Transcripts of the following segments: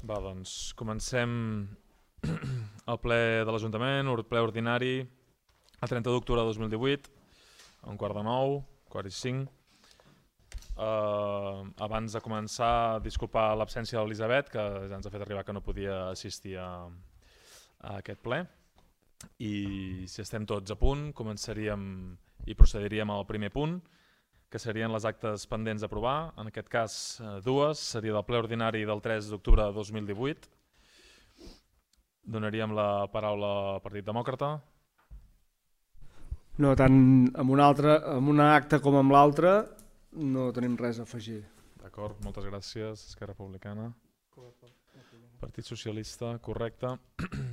Va, doncs comencem el ple de l'Ajuntament, ple ordinari, el 30 d'octubre de 2018, a un quart de 9, quart i 5. Abans de començar, disculpar l'absència de l'Elisabet, que ja ens ha fet arribar que no podia assistir a aquest ple. I si estem tots a punt, començaríem i procediríem al primer punt, que serien les actes pendents d'aprovar. En aquest cas, dues. Seria del ple ordinari del 3 d'octubre de 2018. Donaríem la paraula al Partit Demòcrata. No, tant amb un acte com amb l'altre no tenim res a afegir. D'acord, moltes gràcies. Esquerra Republicana. Partit Socialista, correcte.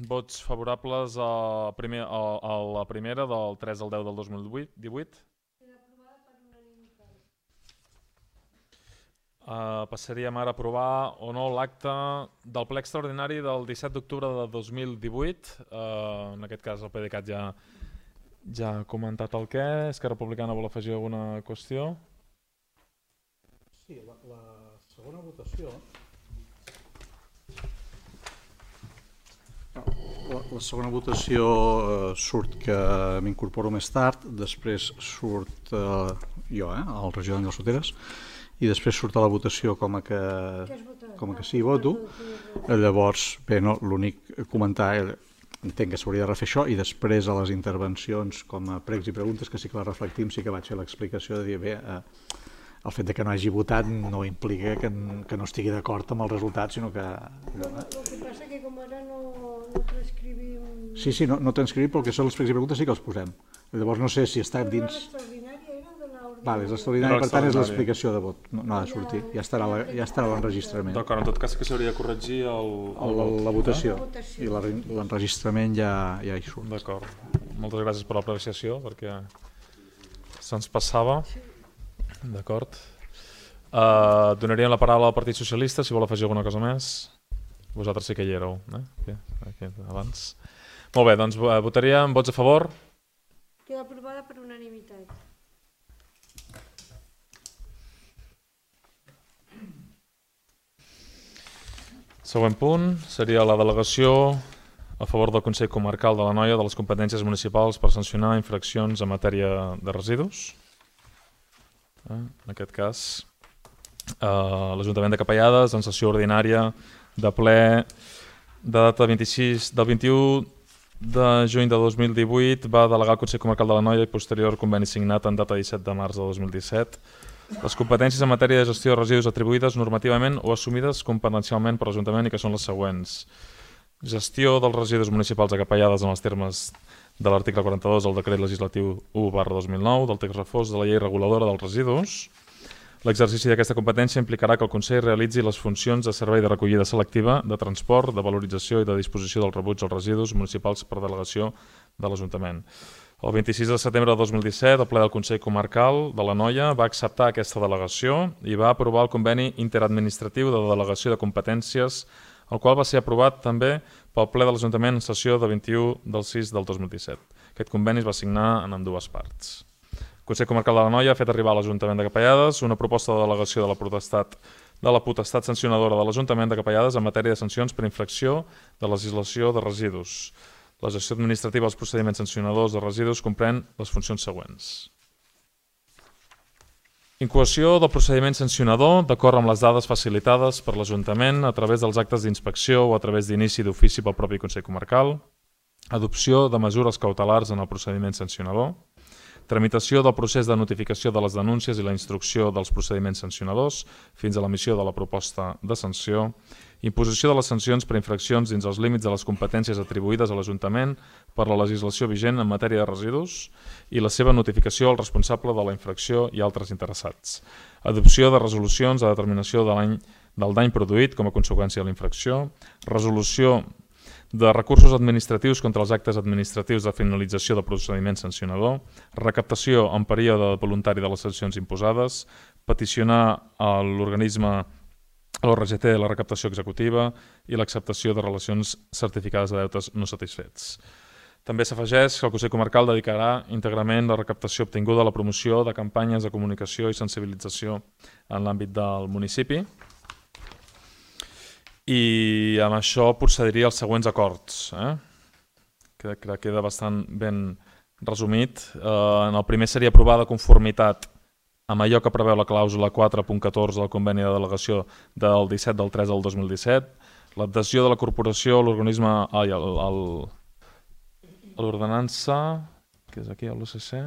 Vots favorables a la primera del 3 al 10 del 2018. Passaríem ara a aprovar o no l'acte del ple extraordinari del 17 d'octubre de 2018. En aquest cas el PDeCAT ja ha comentat el què. Esquerra Republicana vol afegir alguna qüestió? Sí, la segona votació... La segona votació surt que m'incorporo més tard, després surt jo, el regidor d'Àngels Soteres, i després surt a la votació com a que sí voto. Llavors, bé, no, l'únic comentar, entenc que s'hauria de refer això, i després a les intervencions com a pregs i preguntes, que sí que les reflectim, sí que vaig fer l'explicació de dir, bé, el fet que no hagi votat no implica que no estigui d'acord amb el resultat, sinó que... El que passa que com ara no transcrivim... Sí, no transcrivim, però el que són les pregs i preguntes sí que els posem. Llavors no sé si està dins... L'extraordinària era de l'ordinària. Vale, és l'extraordinària, per tant és l'explicació de vot, no ha de sortir, ja estarà l'enregistrament. D'acord, en tot cas que s'hauria de corregir la votació, i l'enregistrament ja hi surt. D'acord, moltes gràcies per l'apreciació, perquè se'ns passava. D'acord. Donaríem la paraula al Partit Socialista, si vol afegir alguna cosa més. Vosaltres sí que hi éreu, aquí abans. Molt bé, doncs votaríem vots a favor. Queda aprovada per unanimitat. Següent punt seria la delegació a favor del Consell Comarcal de l'Anoia de les competències municipals per sancionar infraccions en matèria de residus. En aquest cas, l'Ajuntament de Capellades, en sessió ordinària de ple de data del 21 de juny de 2018, va delegar al Consell Comarcal de l'Anoia i posterior conveni signat en data 17 de març de 2017 les competències en matèria de gestió de residus atribuïdes normativament o assumides competencialment per l'Ajuntament i que són les següents. Gestió dels residus municipals a Capellades en els termes de l'article 42 del decret legislatiu 1/2009 del text refós de la llei reguladora dels residus. L'exercici d'aquesta competència implicarà que el Consell realitzi les funcions de servei de recollida selectiva, de transport, de valorització i de disposició del rebuig als residus municipals per delegació de l'Ajuntament. El 26 de setembre de 2017, el ple del Consell Comarcal de l'Anoia va acceptar aquesta delegació i va aprovar el conveni interadministratiu de delegació de competències, el qual va ser aprovat també pel ple de l'Ajuntament en sessió de 21 del 6 del 2017. Aquest conveni es va signar en ambdues parts. El Consell Comarcal de l'Anoia ha fet arribar a l'Ajuntament de Capellades una proposta de delegació de la potestat sancionadora de l'Ajuntament de Capellades en matèria de sancions per infracció de legislació de residus. La gestió administrativa dels procediments sancionadors de residus comprèn les funcions següents. Incoació del procediment sancionador d'acord amb les dades facilitades per l'Ajuntament a través dels actes d'inspecció o a través d'inici d'ofici pel propi Consell Comarcal, adopció de mesures cautelars en el procediment sancionador, tramitació del procés de notificació de les denúncies i la instrucció dels procediments sancionadors fins a l'emissió de la proposta de sanció, imposició de les sancions per infraccions dins els límits de les competències atribuïdes a l'Ajuntament per la legislació vigent en matèria de residus i la seva notificació al responsable de la infracció i altres interessats. Adopció de resolucions de determinació del dany produït com a conseqüència de la infracció, resolució de recursos administratius contra els actes administratius de finalització del procediment sancionador, recaptació en període voluntari de les sancions imposades, peticionar a l'organisme a l'ORGT la recaptació executiva i l'acceptació de relacions certificades de deutes no satisfets. També s'afegeix que el Consell Comarcal dedicarà íntegrament la recaptació obtinguda a la promoció de campanyes de comunicació i sensibilització en l'àmbit del municipi. I amb això procediria als següents acords. Que queda bastant ben resumit. En el primer seria aprovar de conformitat amb allò que preveu la clàusula 4.14 del conveni de delegació del 17 del 3 del 2017, l'adhesió de la corporació a l'organisme, a l'ordenança, que és aquí, a l'OCC,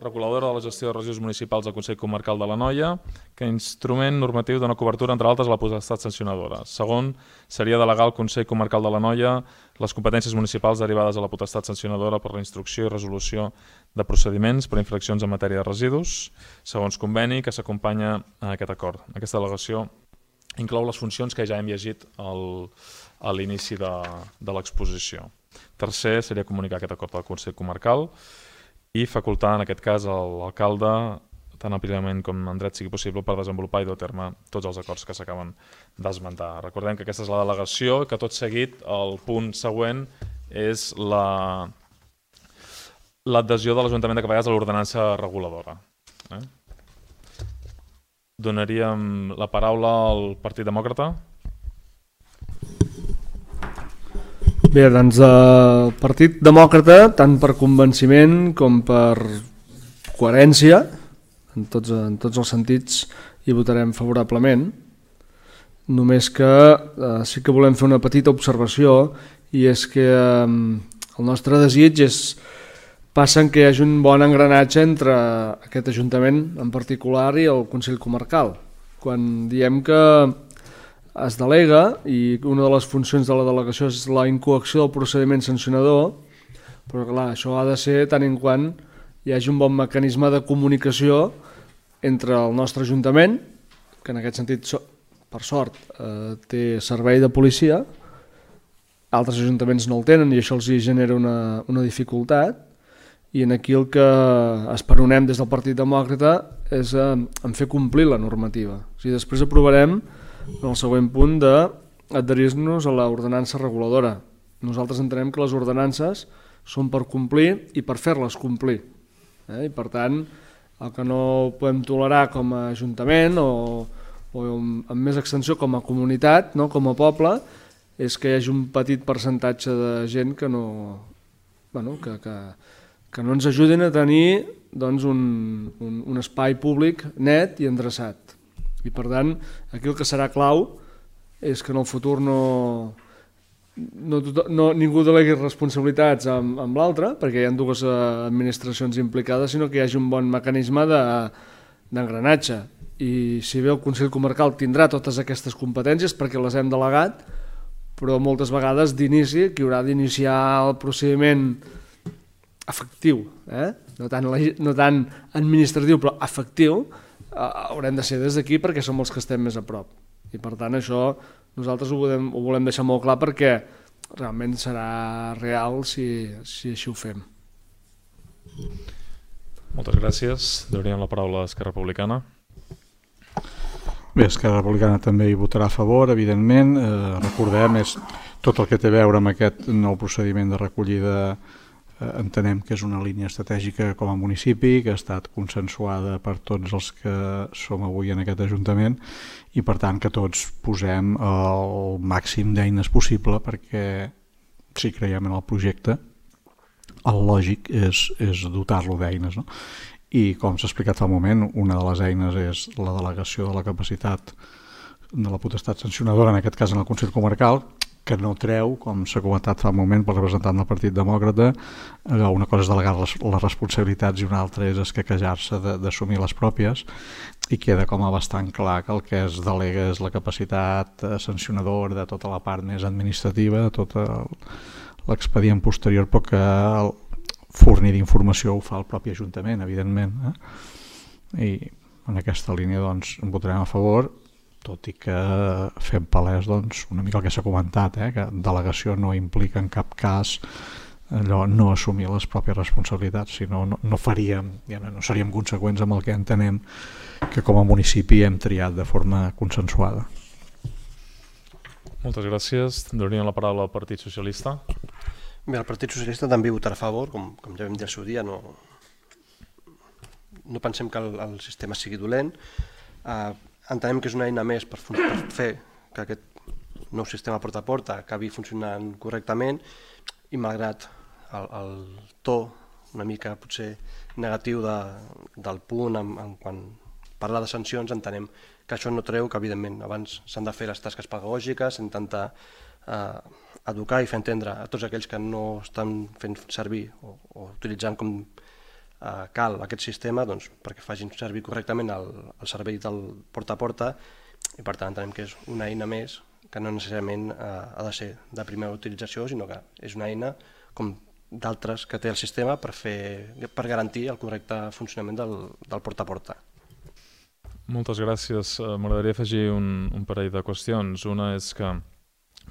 reguladora de la gestió de residus municipals del Consell Comarcal de l'Anoia, que instrument normatiu dona cobertura, entre altres, a la potestat sancionadora. Segon, seria delegar al Consell Comarcal de l'Anoia les competències municipals derivades de la potestat sancionadora per la instrucció i resolució de procediments per infraccions en matèria de residus, segons conveni que s'acompanya a aquest acord. Aquesta delegació inclou les funcions que ja hem llegit a l'inici de l'exposició. Tercer, seria comunicar aquest acord al Consell Comarcal i facultar, en aquest cas, l'alcalde, tan àmpliament com en dret sigui possible, per desenvolupar i dur a terme tots els acords que s'acaben d'esmentar. Recordem que aquesta és la delegació, que tot seguit el punt següent és l'adhesió de l'Ajuntament de Capellades a l'ordenança reguladora. Donaríem la paraula al Partit Demòcrata. Bé, doncs el Partit Demòcrata, tant per convenciment com per coherència, en tots els sentits, hi votarem favorablement. Només que sí que volem fer una petita observació, i és que el nostre desig passa en que hi hagi un bon engranatge entre aquest Ajuntament en particular i el Consell Comarcal. Quan diem que es delega, i una de les funcions de la delegació és la incoacció del procediment sancionador, però clar, això ha de ser tant en quant hi hagi un bon mecanisme de comunicació entre el nostre Ajuntament, que en aquest sentit, per sort, té servei de policia, altres ajuntaments no el tenen i això els genera una dificultat, i aquí el que esperonem des del Partit Demòcrata és en fer complir la normativa. O sigui, després aprovarem en el següent punt d'adherir-nos a l'ordenança reguladora. Nosaltres entenem que les ordenances són per complir i per fer-les complir. I per tant, el que no podem tolerar com a Ajuntament o amb més extensió com a comunitat, com a poble, és que hi hagi un petit percentatge de gent que no ens ajudin a tenir un espai públic net i endreçat. I per tant, aquí el que serà clau és que en el futur ningú delegui responsabilitats amb l'altre, perquè hi ha dues administracions implicades, sinó que hi hagi un bon mecanisme d'engranatge. I si bé el Consell Comarcal tindrà totes aquestes competències perquè les hem delegat, però moltes vegades d'inici qui haurà d'iniciar el procediment efectiu, no tant administratiu però efectiu, haurem de ser des d'aquí perquè som els que estem més a prop. I per tant això nosaltres ho volem deixar molt clar perquè realment serà real si així ho fem. Moltes gràcies. Donaríem la paraula a Esquerra Republicana. Bé, Esquerra Republicana també hi votarà a favor, evidentment. Recordem, és tot el que té a veure amb aquest nou procediment de recollida. Entenem que és una línia estratègica com a municipi, que ha estat consensuada per tots els que som avui en aquest Ajuntament i per tant que tots posem el màxim d'eines possible perquè si creiem en el projecte el lògic és dotar-lo d'eines, no? I com s'ha explicat fa un moment, una de les eines és la delegació de la capacitat de la potestat sancionadora, en aquest cas en el Consell Comarcal, que no treu, com s'ha comentat fa un moment pel representant del Partit Demòcrata, una cosa és delegar les responsabilitats i una altra és escaquejar-se d'assumir les pròpies, i queda com a bastant clar que el que es delega és la capacitat sancionadora de tota la part més administrativa, de tot l'expedient posterior, però que el fornir d'informació ho fa el propi Ajuntament, evidentment. I en aquesta línia doncs en votarem a favor, tot i que fem palès una mica el que s'ha comentat, que delegació no implica en cap cas no assumir les pròpies responsabilitats, sinó no seríem conseqüents amb el que entenem que com a municipi hem triat de forma consensuada. Moltes gràcies. Donaríem la paraula al Partit Socialista. Bé, el Partit Socialista també votarà a favor, com ja vam dir al seu dia, no pensem que el sistema sigui dolent. Entenem que és una eina més per fer que aquest nou sistema porta a porta acabi funcionant correctament i malgrat el to una mica potser negatiu del punt quan parla de sancions, entenem que això no treu que evidentment abans s'han de fer les tasques pedagògiques, intentar educar i fer entendre a tots aquells que no estan fent servir o utilitzant com cal aquest sistema perquè facin servir correctament el servei del porta a porta i per tant entenem que és una eina més que no necessàriament ha de ser de primera utilització, sinó que és una eina com d'altres que té el sistema per garantir el correcte funcionament del porta a porta. Moltes gràcies. M'agradaria afegir un parell de qüestions. Una és que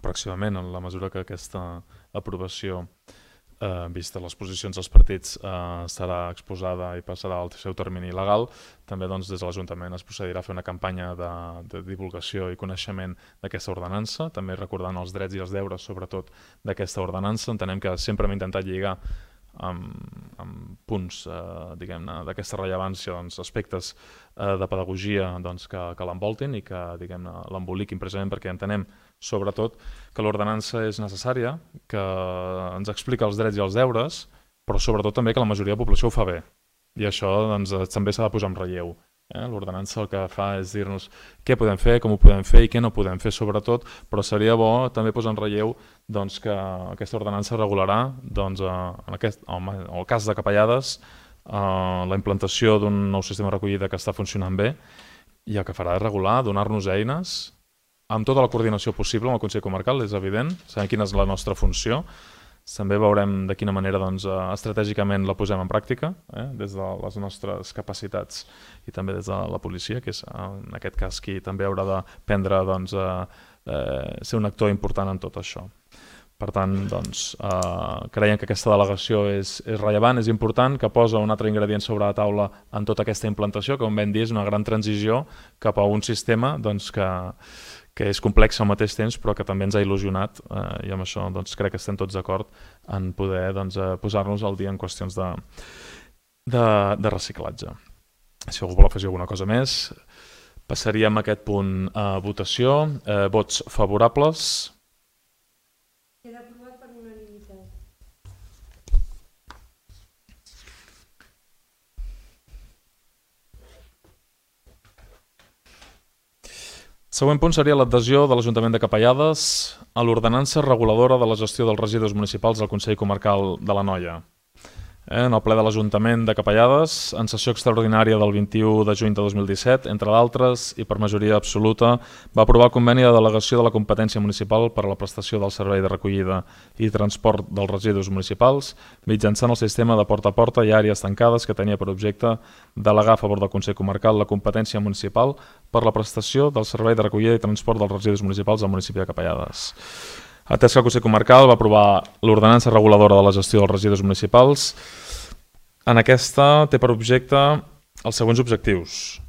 pròximament, en la mesura que aquesta aprovació vista les posicions dels partits serà exposada i passarà al seu termini legal, també des de l'Ajuntament es procedirà a fer una campanya de divulgació i coneixement d'aquesta ordenança, també recordant els drets i els deures sobretot d'aquesta ordenança. Entenem que sempre hem intentat lligar amb punts d'aquesta rellevància, aspectes de pedagogia que l'envoltin i que l'emboliquin precisament perquè entenem sobretot que l'ordenança és necessària, que ens explica els drets i els deures, però sobretot també que la majoria de la població ho fa bé. I això també s'ha de posar en relleu. L'ordenança el que fa és dir-nos què podem fer, com ho podem fer i què no podem fer sobretot, però seria bo també posar en relleu que aquesta ordenança regularà, en el cas de Capellades, la implantació d'un nou sistema de recollida que està funcionant bé i el que farà és regular, donar-nos eines amb tota la coordinació possible amb el Consell Comarcal, és evident, sabem quina és la nostra funció. També veurem de quina manera estratègicament la posem en pràctica, des de les nostres capacitats i també des de la policia, que és en aquest cas qui també haurà de prendre ser un actor important en tot això. Per tant, creiem que aquesta delegació és rellevant, és important, que posa un altre ingredient sobre la taula en tota aquesta implantació, que com vam dir és una gran transició cap a un sistema que és complex al mateix temps però que també ens ha il·lusionat i amb això crec que estem tots d'acord en poder posar-nos al dia en qüestions de reciclatge. Si algú vol afegir alguna cosa més, passaríem a aquest punt a votació. Vots favorables. Queda aprovat per unanimitat. Següent punt seria l'adhesió de l'Ajuntament de Capellades a l'ordenança reguladora de la gestió dels residus municipals del Consell Comarcal de l'Anoia. En el ple de l'Ajuntament de Capellades, en sessió extraordinària del 21 de juny de 2017, entre d'altres, i per majoria absoluta, va aprovar el conveni de delegació de la competència municipal per a la prestació del servei de recollida i transport dels residus municipals mitjançant el sistema de porta a porta i àrees tancades que tenia per objecte delegar a favor del Consell Comarcal la competència municipal per la prestació del servei de recollida i transport dels residus municipals al municipi de Capellades. Atès que el Consell Comarcal va aprovar l'ordenança reguladora de la gestió dels residus municipals, en aquesta té per objecte els següents objectius.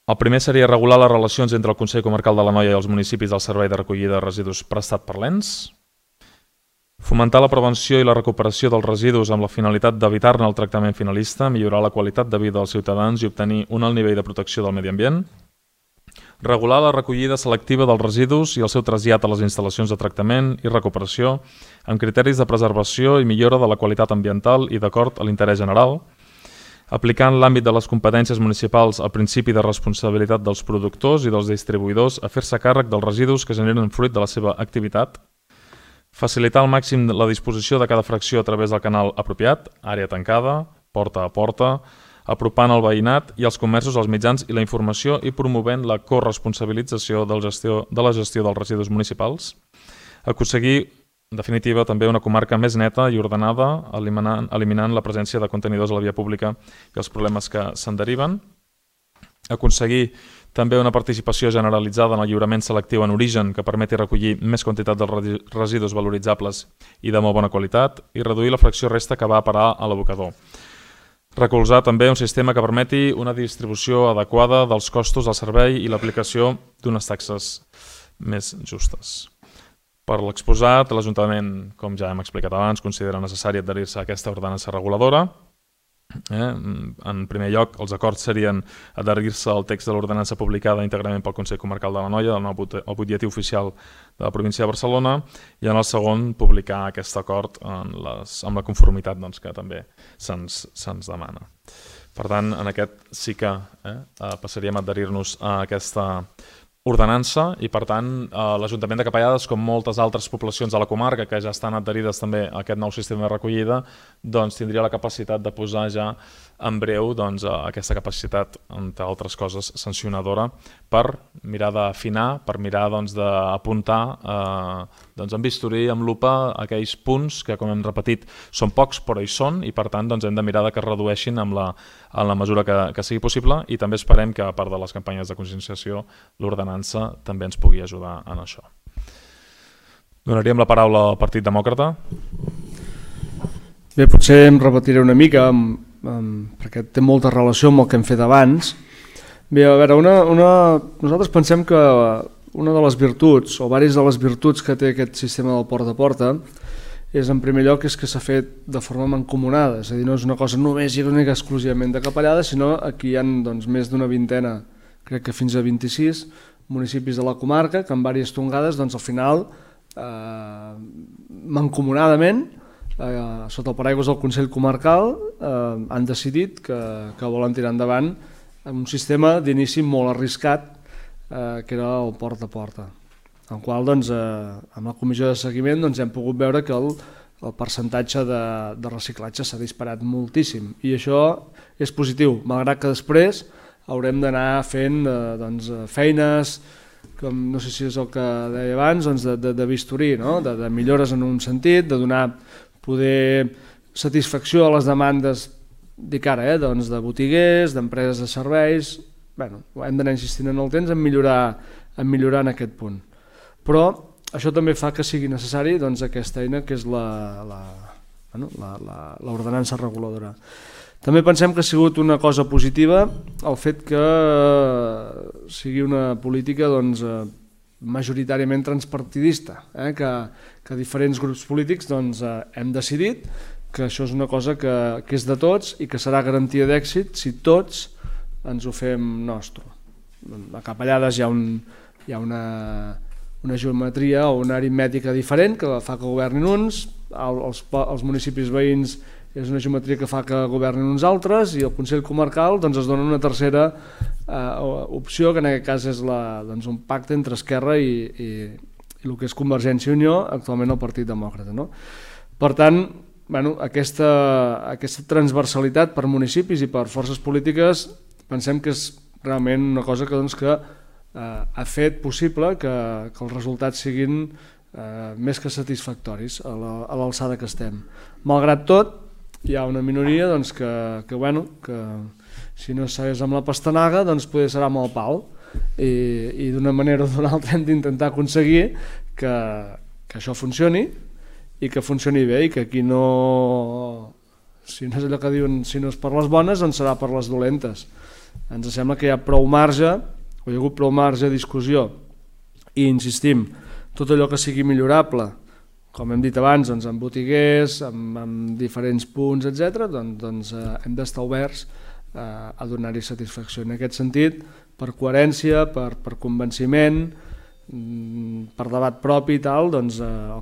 El primer seria regular les relacions entre el Consell Comarcal de l'Anoia i els municipis del servei de recollida de residus prestat per l'ENS, fomentar la prevenció i la recuperació dels residus amb la finalitat d'evitar-ne el tractament finalista, millorar la qualitat de vida dels ciutadans i obtenir un alt nivell de protecció del medi ambient, regular la recollida selectiva dels residus i el seu trasllat a les instal·lacions de tractament i recuperació amb criteris de preservació i millora de la qualitat ambiental i d'acord a l'interès general, aplicant l'àmbit de les competències municipals al principi de responsabilitat dels productors i dels distribuïdors a fer-se càrrec dels residus que generen fruit de la seva activitat, facilitar al màxim la disposició de cada fracció a través del canal apropiat, àrea tancada, porta a porta, apropant el veïnat i els comerços als mitjans i la informació i promovent la corresponsabilització de la gestió dels residus municipals, aconseguir, en definitiva, també una comarca més neta i ordenada, eliminant la presència de contenidors a la via pública i els problemes que se'n deriven, aconseguir també una participació generalitzada en el lliurament selectiu en origen que permeti recollir més quantitat de residus valoritzables i de molt bona qualitat i reduir la fracció resta que va a parar a l'abocador. Recolzar també un sistema que permeti una distribució adequada dels costos del servei i l'aplicació d'unes taxes més justes. Per l'exposat, l'Ajuntament, com ja hem explicat abans, considera necessari adherir-se a aquesta ordenança reguladora En primer lloc, els acords serien adherir-se al text de l'ordenança publicada íntegrament pel Consell Comarcal de l'Anoia, el butlletí oficial de la província de Barcelona, i en el segon publicar aquest acord amb la conformitat que també se'ns demana. Per tant, en aquest sí que passaríem a adherir-nos a aquesta ordenança i, per tant, l'Ajuntament de Capellades, com moltes altres poblacions de la comarca que ja estan adherides també a aquest nou sistema de recollida, doncs tindria la capacitat de posar ja en breu aquesta capacitat, entre altres coses, sancionadora, per mirar d'afinar, per mirar d'apuntar amb bisturí, amb lupa, aquells punts que, com hem repetit, són pocs però hi són i, per tant, hem de mirar que es redueixin en la mesura que sigui possible, i també esperem que, a part de les campanyes de conscienciació, l'ordenança també ens pugui ajudar en això. Donaríem la paraula al Partit Demòcrata. Bé, potser em repetiré una mica, perquè té molta relació amb el que hem fet abans. Bé, a veure, nosaltres pensem que una de les virtuts, o diverses de les virtuts que té aquest sistema del porta a porta, és, en primer lloc, que s'ha fet de forma mancomunada, és a dir, no és una cosa només i única exclusivament de Capellades, sinó aquí hi ha més d'una vintena, crec que fins a 26 municipis de la comarca, que en diverses tongades, al final, mancomunadament, sota el paraigües del Consell Comarcal, han decidit que volen tirar endavant un sistema d'inici molt arriscat, que era el porta a porta, en el qual amb la comissió de seguiment hem pogut veure que el percentatge de reciclatge s'ha disparat moltíssim, i això és positiu, malgrat que després haurem d'anar fent feines, com no sé si és el que deia abans, de bisturí, de millores en un sentit, de donar poder satisfacció a les demandes dic ara, de botiguers, d'empreses de serveis. Hem d'anar insistint en el temps en millorar en aquest punt. Però això també fa que sigui necessari aquesta eina que és l'ordenança reguladora. També pensem que ha sigut una cosa positiva el fet que sigui una política majoritàriament transpartidista, que diferents grups polítics hem decidit que això és una cosa que és de tots i que serà garantia d'èxit si tots ens ho fem nostre. A Capellades hi ha una geometria o una aritmètica diferent que fa que governin uns, als municipis veïns és una geometria que fa que governin uns altres, i el Consell Comarcal es dona una tercera opció, que en aquest cas és un pacte entre Esquerra i el que és Convergència i Unió, actualment el Partit Demòcrata. Per tant, aquesta transversalitat per municipis i per forces polítiques pensem que és realment una cosa que ha fet possible que els resultats siguin més que satisfactoris a l'alçada que estem. Malgrat tot, hi ha una minoria que si no segueix amb la pastanaga potser serà amb el pal, i d'una manera o d'una altra hem d'intentar aconseguir que això funcioni i que funcioni bé, i que aquí no, si no és allò que diuen, si no és per les bones doncs serà per les dolentes. Ens sembla que hi ha prou marge, o hi ha hagut prou marge de discussió, i insistim, tot allò que sigui millorable, com hem dit abans, amb botiguers, amb diferents punts, etc., hem d'estar oberts a donar-hi satisfacció. En aquest sentit, per coherència, per convenciment, per debat propi i tal, el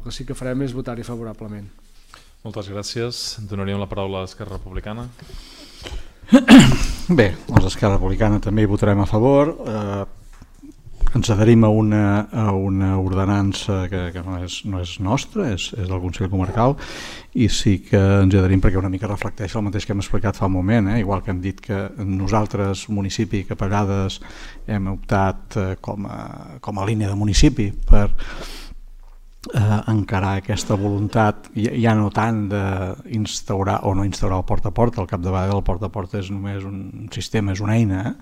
que sí que farem és votar-hi favorablement. Moltes gràcies. Donaríem la paraula a Esquerra Republicana. Bé, els d'Esquerra Republicana també hi votarem a favor. Ens adherim a una ordenança que no és nostra, és del Consell Comarcal, i sí que ens adherim perquè una mica reflecteix el mateix que hem explicat fa un moment, igual que hem dit que nosaltres, municipi, que a vegades hem optat com a línia de municipi per encarar aquesta voluntat, ja no tant d'instaurar o no instaurar el porta a porta. Al capdavall del porta a porta és només un sistema, és una eina.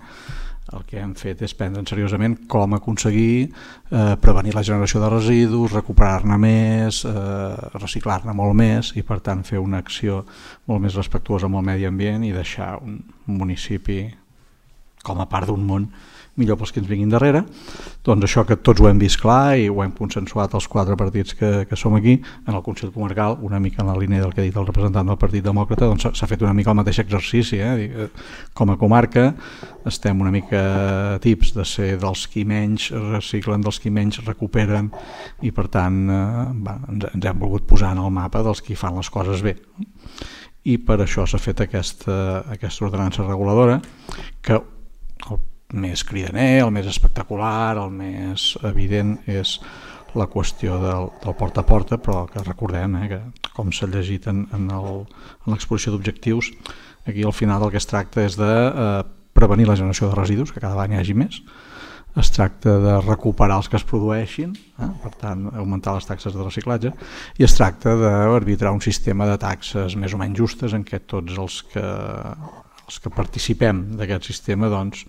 El que hem fet és prendre seriosament com aconseguir prevenir la generació de residus, recuperar-ne més, reciclar-ne molt més, i per tant fer una acció molt més respectuosa amb el medi ambient i deixar un municipi com a part d'un món millor pels que ens vinguin darrere. Doncs això que tots ho hem vist clar i ho hem consensuat els 4 partits que som aquí, en el Consell Comarcal, una mica en la línia del que ha dit el representant del Partit Demòcrata, doncs s'ha fet una mica el mateix exercici. Com a comarca estem una mica tips de ser dels qui menys reciclen, dels qui menys recuperen, i per tant ens hem volgut posar en el mapa dels qui fan les coses bé. I per això s'ha fet aquesta ordenança reguladora, que el més cridaner, el més espectacular, el més evident és la qüestió del porta a porta, però que recordem que com s'ha llegit en l'exposició d'objectius, aquí al final del que es tracta és de prevenir la generació de residus, que cada any hi hagi més. Es tracta de recuperar els que es produeixin, per tant augmentar les taxes de reciclatge, i es tracta d'arbitrar un sistema de taxes més o menys justes en què tots els que participem d'aquest sistema doncs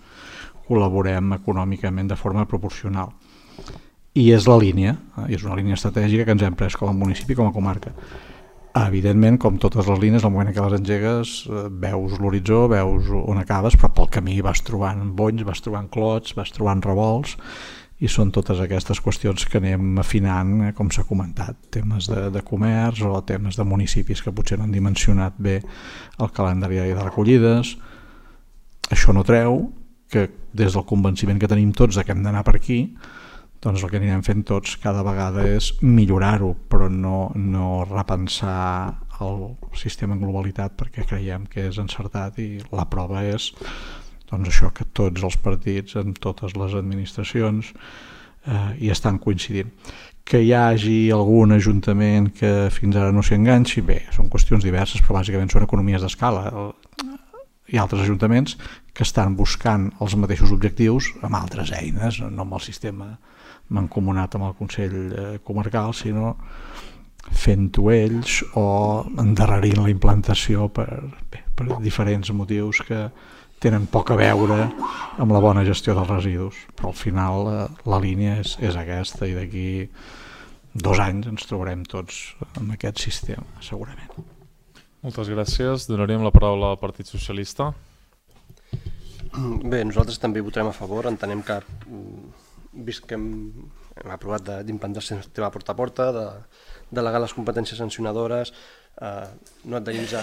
col·laborem econòmicament de forma proporcional. I és la línia, és una línia estratègica que ens hem pres com a municipi, com a comarca. Evidentment, com totes les línies, al moment que les engegues veus l'horitzó, veus on acabes, però pel camí vas trobant bonys, vas trobant clots, vas trobant revolts, i són totes aquestes qüestions que anem afinant, com s'ha comentat, temes de comerç o temes de municipis que potser no han dimensionat bé el calendari de recollides. Això no treu que des del convenciment que tenim tots que hem d'anar per aquí, doncs el que anirem fent tots cada vegada és millorar-ho, però no repensar el sistema en globalitat, perquè creiem que és encertat, i la prova és doncs això, que tots els partits en totes les administracions hi estan coincidint. Que hi hagi algun ajuntament que fins ara no s'hi enganxi, bé, són qüestions diverses, però bàsicament són economies d'escala. Hi ha altres ajuntaments que estan buscant els mateixos objectius amb altres eines, no amb el sistema mancomunat amb el Consell Comarcal, sinó fent-ho ells o endarrerint la implantació per diferents motius que tenen poc a veure amb la bona gestió dels residus. Però al final la línia és aquesta, i d'aquí 2 anys ens trobarem tots amb aquest sistema, segurament. Moltes gràcies. Donaríem la paraula al Partit Socialista. Bé, nosaltres també votarem a favor. Entenem que, vist que hem aprovat d'implantar el sistema porta a porta, de delegar les competències sancionadores, no adherir-nos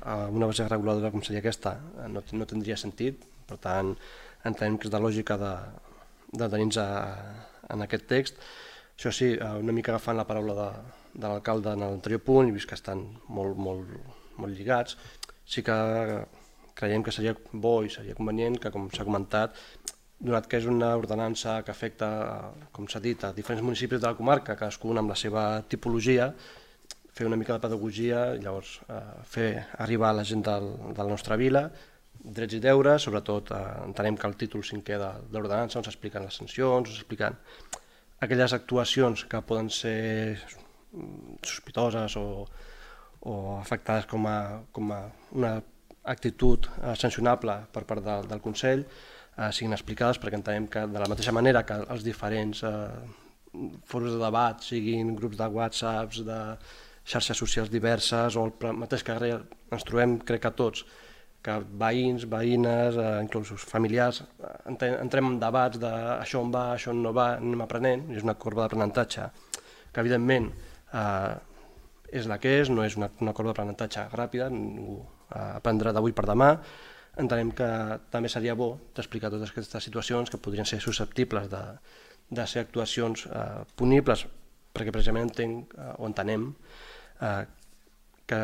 a una base reguladora com seria aquesta no tindria sentit. Per tant, entenem que és de lògica d'adherir-nos en aquest text. Això sí, una mica agafant la paraula de l'alcalde en l'anterior punt, i vist que estan molt lligats, sí que creiem que seria bo i seria convenient que, com s'ha comentat, donat que és una ordenança que afecta, com s'ha dit, a diferents municipis de la comarca, cadascun amb la seva tipologia, fer una mica de pedagogia, llavors fer arribar a la gent de la nostra vila drets i deures. Sobretot entenem que el títol 5è de l'ordenança, on s'expliquen les sancions, on s'expliquen aquelles actuacions que poden ser sospitoses o afectades com a una actitud sancionable per part del Consell, siguin explicades, perquè entenem que de la mateixa manera que els diferents fòrums de debat, siguin grups de WhatsApps, de xarxes socials diverses, o el mateix que ens trobem, crec que tots, que veïns, veïnes, inclús familiars, entrem en debats de això on va, això on no va, anem aprenent, és una corba d'aprenentatge que evidentment és la que és, no és una corba d'aprenentatge ràpida, ningú aprendrà d'avui per demà. Entenem que també seria bo d'explicar totes aquestes situacions que podrien ser susceptibles de ser actuacions punibles, perquè precisament entenem que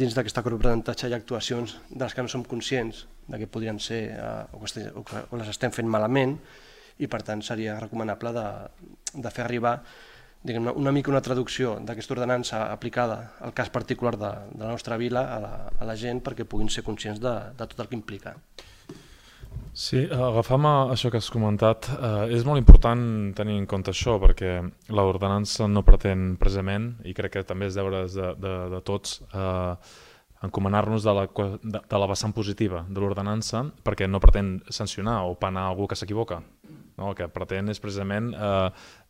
dins d'aquesta corba d'aprenentatge hi ha actuacions de les que no som conscients de que podrien ser o les estem fent malament, i per tant seria recomanable de fer arribar una mica una traducció d'aquesta ordenança aplicada al cas particular de la nostra vila a la gent, perquè puguin ser conscients de tot el que implica. Sí, agafant això que has comentat, és molt important tenir en compte això, perquè l'ordenança no pretén precisament, i crec que també és deures de tots, encomanar-nos de la vessant positiva de l'ordenança, perquè no pretén sancionar o penar algú que s'equivoca. no? El que pretén és precisament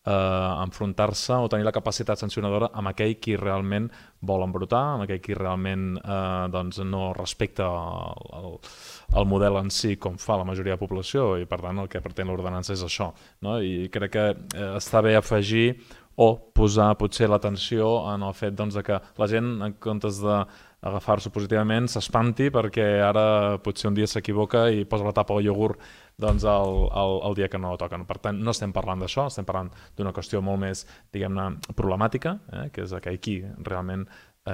enfrontar-se o tenir la capacitat sancionadora amb aquell qui realment vol embrutar, amb aquell qui realment doncs no respecta el model en si com fa la majoria de població, i per tant el que pretén l'ordenança és això, no? I crec que està bé afegir o posar potser l'atenció en el fet doncs, que la gent, en comptes d'agafar-s'ho positivament, s'espanti perquè ara potser un dia s'equivoca i posa la tapa al iogurt doncs, el dia que no toquen. Per tant, no estem parlant d'això, estem parlant d'una qüestió molt més, diguem-ne, problemàtica, que és aquell qui realment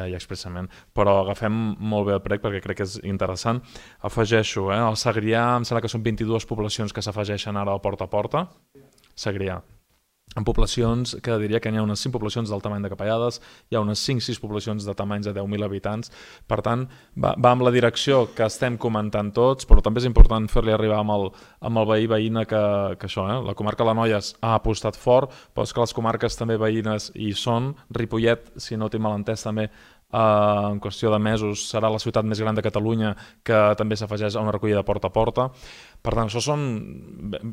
i expressament. Però agafem molt bé el prec perquè crec que és interessant. Afegeixo, al Segrià em sembla que són 22 poblacions que s'afegeixen ara al porta a porta. Segrià. En poblacions, que diria que hi ha unes 5 poblacions del tamany de Capellades, hi ha unes 5-6 poblacions de tamanys de 10.000 habitants, per tant va amb la direcció que estem comentant tots, però també és important fer-li arribar amb el veí veïna que això, la comarca Lanoies ha apostat fort, però és que les comarques també veïnes hi són. Ripollet, si no tinc mal entès també, en qüestió de mesos serà la ciutat més gran de Catalunya que també s'afegeix a una recollida porta a porta. Per tant, això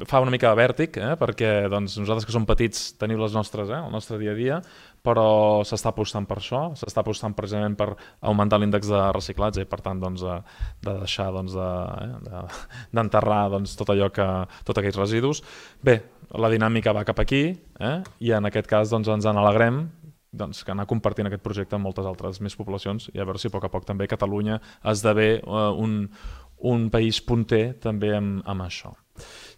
fa una mica de vèrtic, perquè doncs, nosaltres que som petits tenim les nostres, el nostre dia a dia, però s'està apostant per això, s'està apostant precisament per augmentar l'índex de reciclatge i per tant doncs, de deixar d'enterrar tots aquells residus. Bé, la dinàmica va cap aquí i en aquest cas doncs, ens en alegrem que anar compartint aquest projecte amb moltes altres més poblacions i a veure si a poc a poc també Catalunya esdevé un país punter també amb això.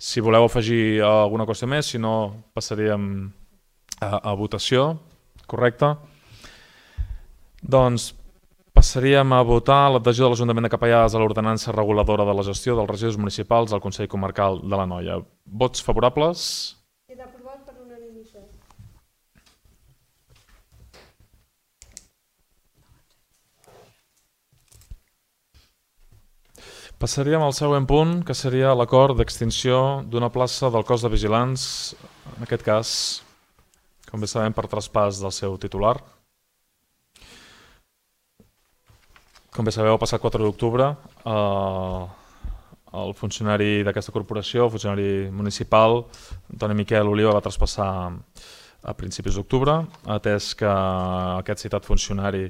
Si voleu afegir alguna cosa més, si no passaríem a votació, correcte? Doncs passaríem a votar l'adhesió de l'Ajuntament de Capellades a l'ordenança reguladora de la gestió dels residus municipals al Consell Comarcal de l'Anoia. Vots favorables? Queda aprovat per unanimitat. Passaríem al següent punt, que seria l'acord d'extinció d'una plaça del cos de vigilants, en aquest cas, com bé sabem, per traspàs del seu titular. Com bé sabeu, el passat 4 d'octubre, el funcionari d'aquesta corporació, el funcionari municipal, Antoni Miquel Oliva, va traspassar a principis d'octubre, atès que aquest citat funcionari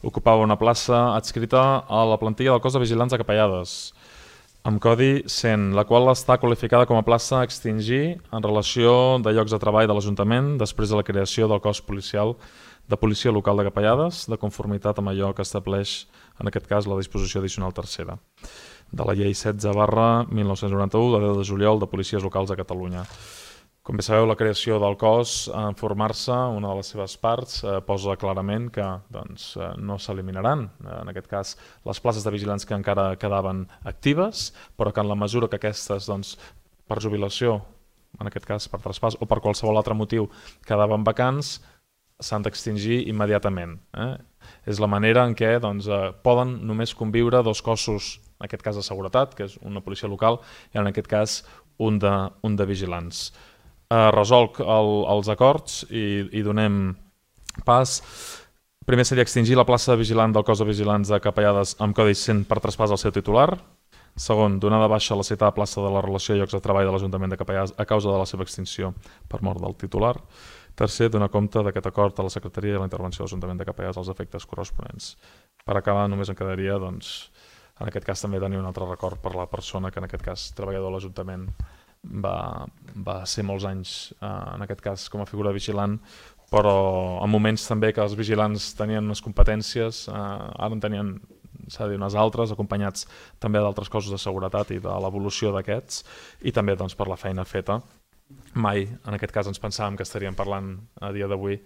ocupava una plaça adscrita a la plantilla del cos de vigilants de Capellades, amb codi 100, la qual està qualificada com a plaça a extingir en relació de llocs de treball de l'Ajuntament després de la creació del cos policial de policia local de Capellades, de conformitat amb allò que estableix, en aquest cas, la disposició addicional tercera de la llei 16/1991 de 10 de juliol de policies locals de Catalunya. Com bé sabeu, la creació del cos, en formar-se, una de les seves parts, posa clarament que no s'eliminaran, en aquest cas, les places de vigilants que encara quedaven actives, però que en la mesura que aquestes, per jubilació, en aquest cas per traspàs o per qualsevol altre motiu, quedaven vacants, s'han d'extingir immediatament. És la manera en què poden només conviure dos cossos, en aquest cas de seguretat, que és una policia local, i en aquest cas un de vigilants. Resolc els acords i donem pas. Primer seria extingir la plaça de vigilant del cos de vigilants de Capellades amb codi 100 per traspàs al seu titular. Segon, donar de baixa la citada plaça de la relació de llocs de treball de l'Ajuntament de Capellades a causa de la seva extinció per mort del titular. Tercer, donar compte d'aquest acord a la Secretaria i la intervenció de l'Ajuntament de Capellades als efectes corresponents. Per acabar, només em quedaria, en aquest cas també tenir un altre record per la persona que en aquest cas treballador de l'Ajuntament va ser molts anys, en aquest cas com a figura vigilant, però en moments també que els vigilants tenien unes competències, ara en tenien, s'ha de dir, unes altres, acompanyats també d'altres cossos de seguretat i de l'evolució d'aquests, i també per la feina feta. Mai, en aquest cas, ens pensàvem que estaríem parlant a dia d'avui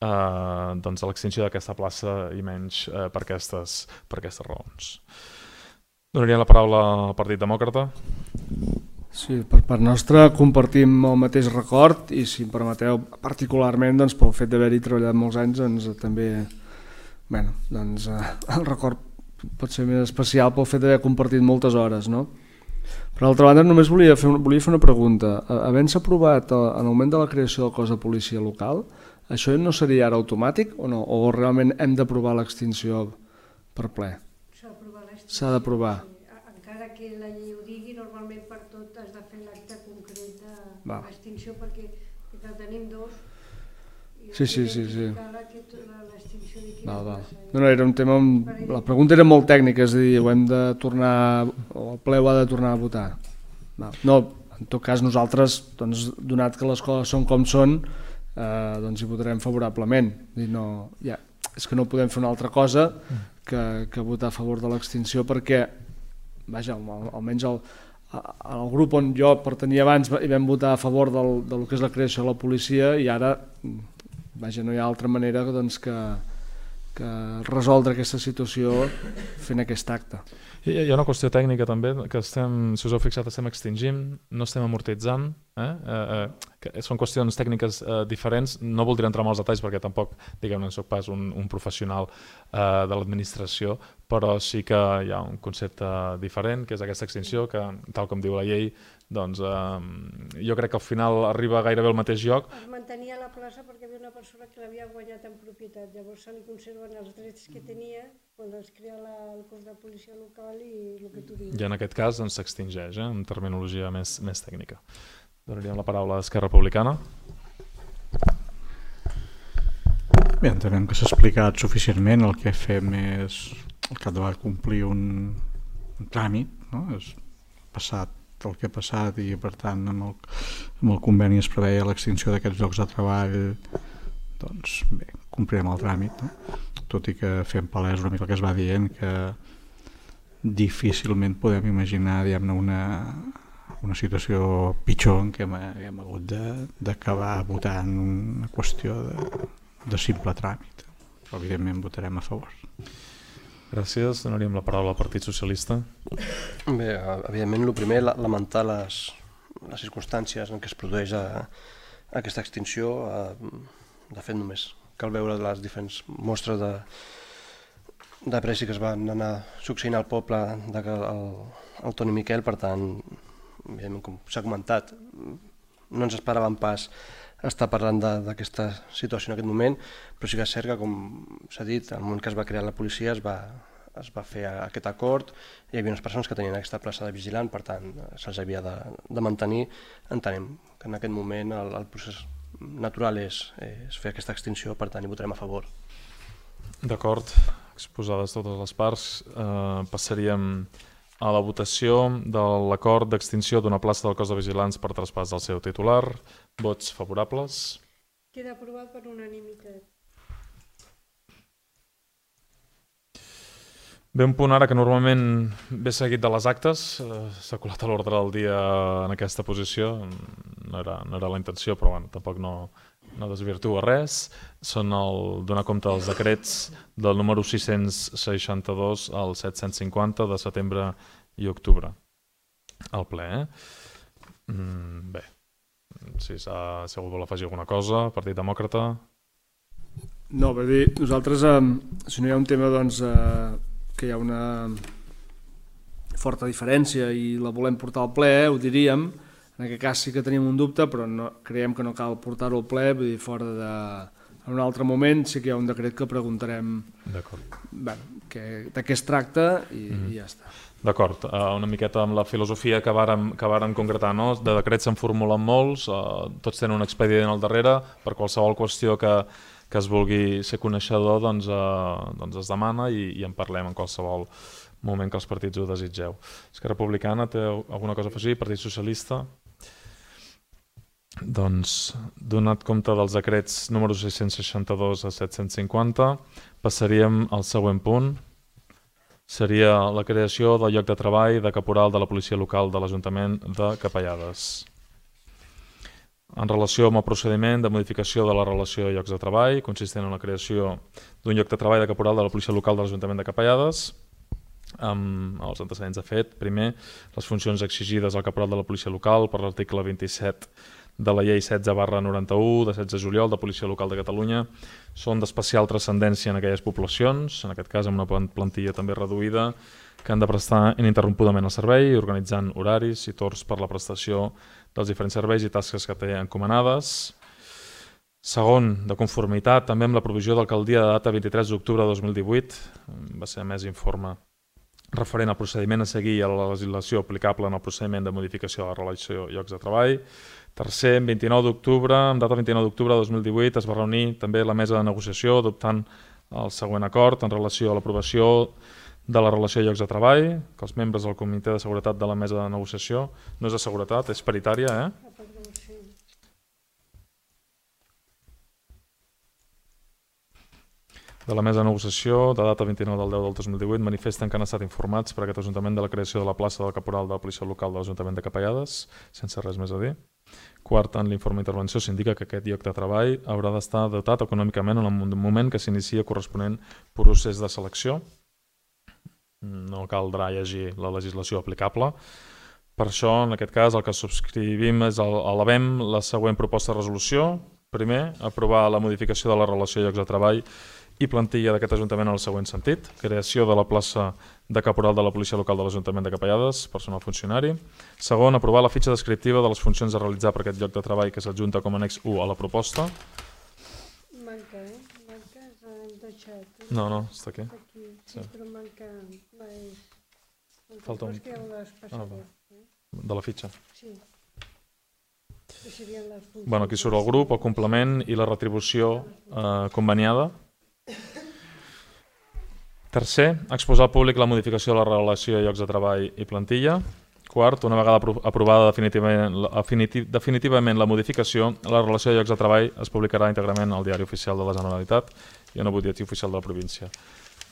de l'extinció d'aquesta plaça i menys per aquestes raons. Donaria la paraula al Partit Demòcrata. Sí, per part nostra compartim el mateix record i, si em permeteu, particularment pel fet d'haver-hi treballat molts anys, també el record pot ser més especial pel fet d'haver compartit moltes hores, no? Per altra banda, només volia fer una pregunta. Havent-se aprovat en el moment de la creació del cos de policia local, això no seria ara automàtic o no? O realment hem d'aprovar l'extinció per ple? S'ha d'aprovar l'extinció. S'ha d'aprovar. Encara que la llei ho digui, normalment per tot has de fer l'acte concret Va. d'extinció perquè tenim dos. I Sí. L'extinció de quina Val. plaça. No, era un tema... La pregunta era molt tècnica, és a dir, ho hem de tornar... o el ple ho ha de tornar a votar. No, en tot cas nosaltres, doncs, donat que les coses són com són, doncs hi votarem favorablement. És que no podem fer una altra cosa que votar a favor de l'extinció perquè, vaja, almenys el grup on jo pertanyia abans hi vam votar a favor del que és la creació de la policia i ara, vaja, no hi ha altra manera doncs, que resoldre aquesta situació fent aquest acte. Hi ha una qüestió tècnica també, que estem, si us heu fixat, estem extingint, no estem amortitzant, són qüestions tècniques diferents, no voldria entrar en els detalls perquè tampoc, diguem-ne, no soc pas un professional de l'administració, però sí que hi ha un concepte diferent, que és aquesta extinció, que tal com diu la llei, doncs jo crec que al final arriba gairebé al mateix lloc. Es mantenia la plaça perquè hi havia una persona que l'havia guanyat en propietat, llavors se li conserven els drets que tenia quan es crea el cos de policia local i el que tu dius. I en aquest cas s'extingeix, amb terminologia més tècnica. Donaríem la paraula a Esquerra Republicana. Bé, entenem que s'ha explicat suficientment. El que fem és al capdavall complir un tràmit, no? És passat el que ha passat i per tant amb el conveni es preveia l'extinció d'aquests llocs de treball, doncs bé, complirem el tràmit, no? Tot i que fem palès una mica el que es va dient, que difícilment podem imaginar, diguem-ne, una situació pitjor en què hem hagut d'acabar votant una qüestió de simple tràmit. Però evidentment votarem a favor. Gràcies. Donaríem la paraula al Partit Socialista. Bé, evidentment, el primer, lamentar les circumstàncies en què es produeix aquesta extinció. De fet, només cal veure les diferents mostres de pressi que es van anar succeint al poble del Toni Miquel. Per tant, evidentment, com s'ha comentat, no ens esperàvem pas estar parlant d'aquesta situació en aquest moment, però sí que és cert que, com s'ha dit, al moment que es va crear la policia es va fer aquest acord, hi havia unes persones que tenien aquesta plaça de vigilant, per tant se'ls havia de mantenir. Entenem que en aquest moment el procés natural és fer aquesta extinció, per tant hi votarem a favor. D'acord, exposades totes les parts, passaríem a la votació de l'acord d'extinció d'una plaça del cos de vigilants per traspàs del seu titular. Vots favorables. Queda aprovat per unanimitat. Ve un punt ara que normalment ve seguit de les actes, s'ha colat a l'ordre del dia en aquesta posició, no era la intenció, però bueno, tampoc no desvirtua res. Són el donar compte dels decrets del número 662 al 750 de setembre i octubre al ple. Bé, si algú vol afegir alguna cosa, Partit Demòcrata. No, per dir, nosaltres, si no hi ha un tema doncs, que hi ha una forta diferència i la volem portar al ple, ho diríem. En aquest cas sí que tenim un dubte, però creiem que no cal portar-ho al ple, vull dir, fora en un altre moment sí que hi ha un decret que preguntarem de què es tracta i ja està. D'acord, una miqueta amb la filosofia que vàrem concretar, no? De decrets se'n formulen molts, tots tenen un expedient al darrere, per qualsevol qüestió que es vulgui ser coneixedor doncs es demana i en parlem en qualsevol moment que els partits ho desitgeu. Esquerra Republicana té alguna cosa a afegir? Partit Socialista? Doncs, donat compte dels decrets número 662 a 750, passaríem al següent punt. Seria la creació del lloc de treball de caporal de la policia local de l'Ajuntament de Capellades. En relació amb el procediment de modificació de la relació de llocs de treball, consistent en la creació d'un lloc de treball de caporal de la policia local de l'Ajuntament de Capellades, amb els antecedents de fet. Primer, les funcions exigides al caporal de la policia local per l'article 27 de la llei 16/91 de 16 de juliol de Policia Local de Catalunya són d'especial transcendència en aquelles poblacions, en aquest cas amb una plantilla també reduïda, que han de prestar ininterrompudament el servei, organitzant horaris i torns per la prestació dels diferents serveis i tasques que té encomanades. Segon, de conformitat també amb la provisió d'alcaldia de data 23 d'octubre de 2018, va ser emès informe referent al procediment a seguir i a la legislació aplicable en el procediment de modificació de la relació de llocs de treball. Tercer, en 29 d'octubre, en data 29 d'octubre de 2018, es va reunir també la mesa de negociació adoptant el següent acord en relació a l'aprovació de la relació de llocs de treball, que els membres del comitè de seguretat de la mesa de negociació, no és de seguretat, és paritària, de la mesa de negociació, de data 29 del 10 del 2018, manifesten que han estat informats per aquest Ajuntament de la creació de la plaça del caporal de la policia local de l'Ajuntament de Capellades, sense res més a dir. Quart, en l'informe d'intervenció s'indica que aquest lloc de treball haurà d'estar dotat econòmicament en el moment que s'inicia corresponent procés de selecció. No caldrà llegir la legislació aplicable. Per això, en aquest cas, el que subscrivim és elevem la següent proposta de resolució. Primer, aprovar la modificació de la relació de llocs de treball i plantilla d'aquest Ajuntament en el següent sentit. Creació de la plaça de caporal de la policia local de l'Ajuntament de Capellades, personal funcionari. Segon, aprovar la fitxa descriptiva de les funcions a realitzar per aquest lloc de treball que s'adjunta com a annex 1 a la proposta. Manca, manca, s'han deixat. No, està aquí. Està aquí, sí, però manca. Falta un... Que ja ho despassaré. De la fitxa. Sí. Deixarien les funcions. Bueno, aquí surt el grup, el complement i la retribució conveniada. Tercer, exposar al públic la modificació de la relació de llocs de treball i plantilla. Quart, una vegada aprovada definitivament la modificació, la relació de llocs de treball es publicarà íntegrament al Diari Oficial de la Generalitat i en el Butlletí Oficial de la província.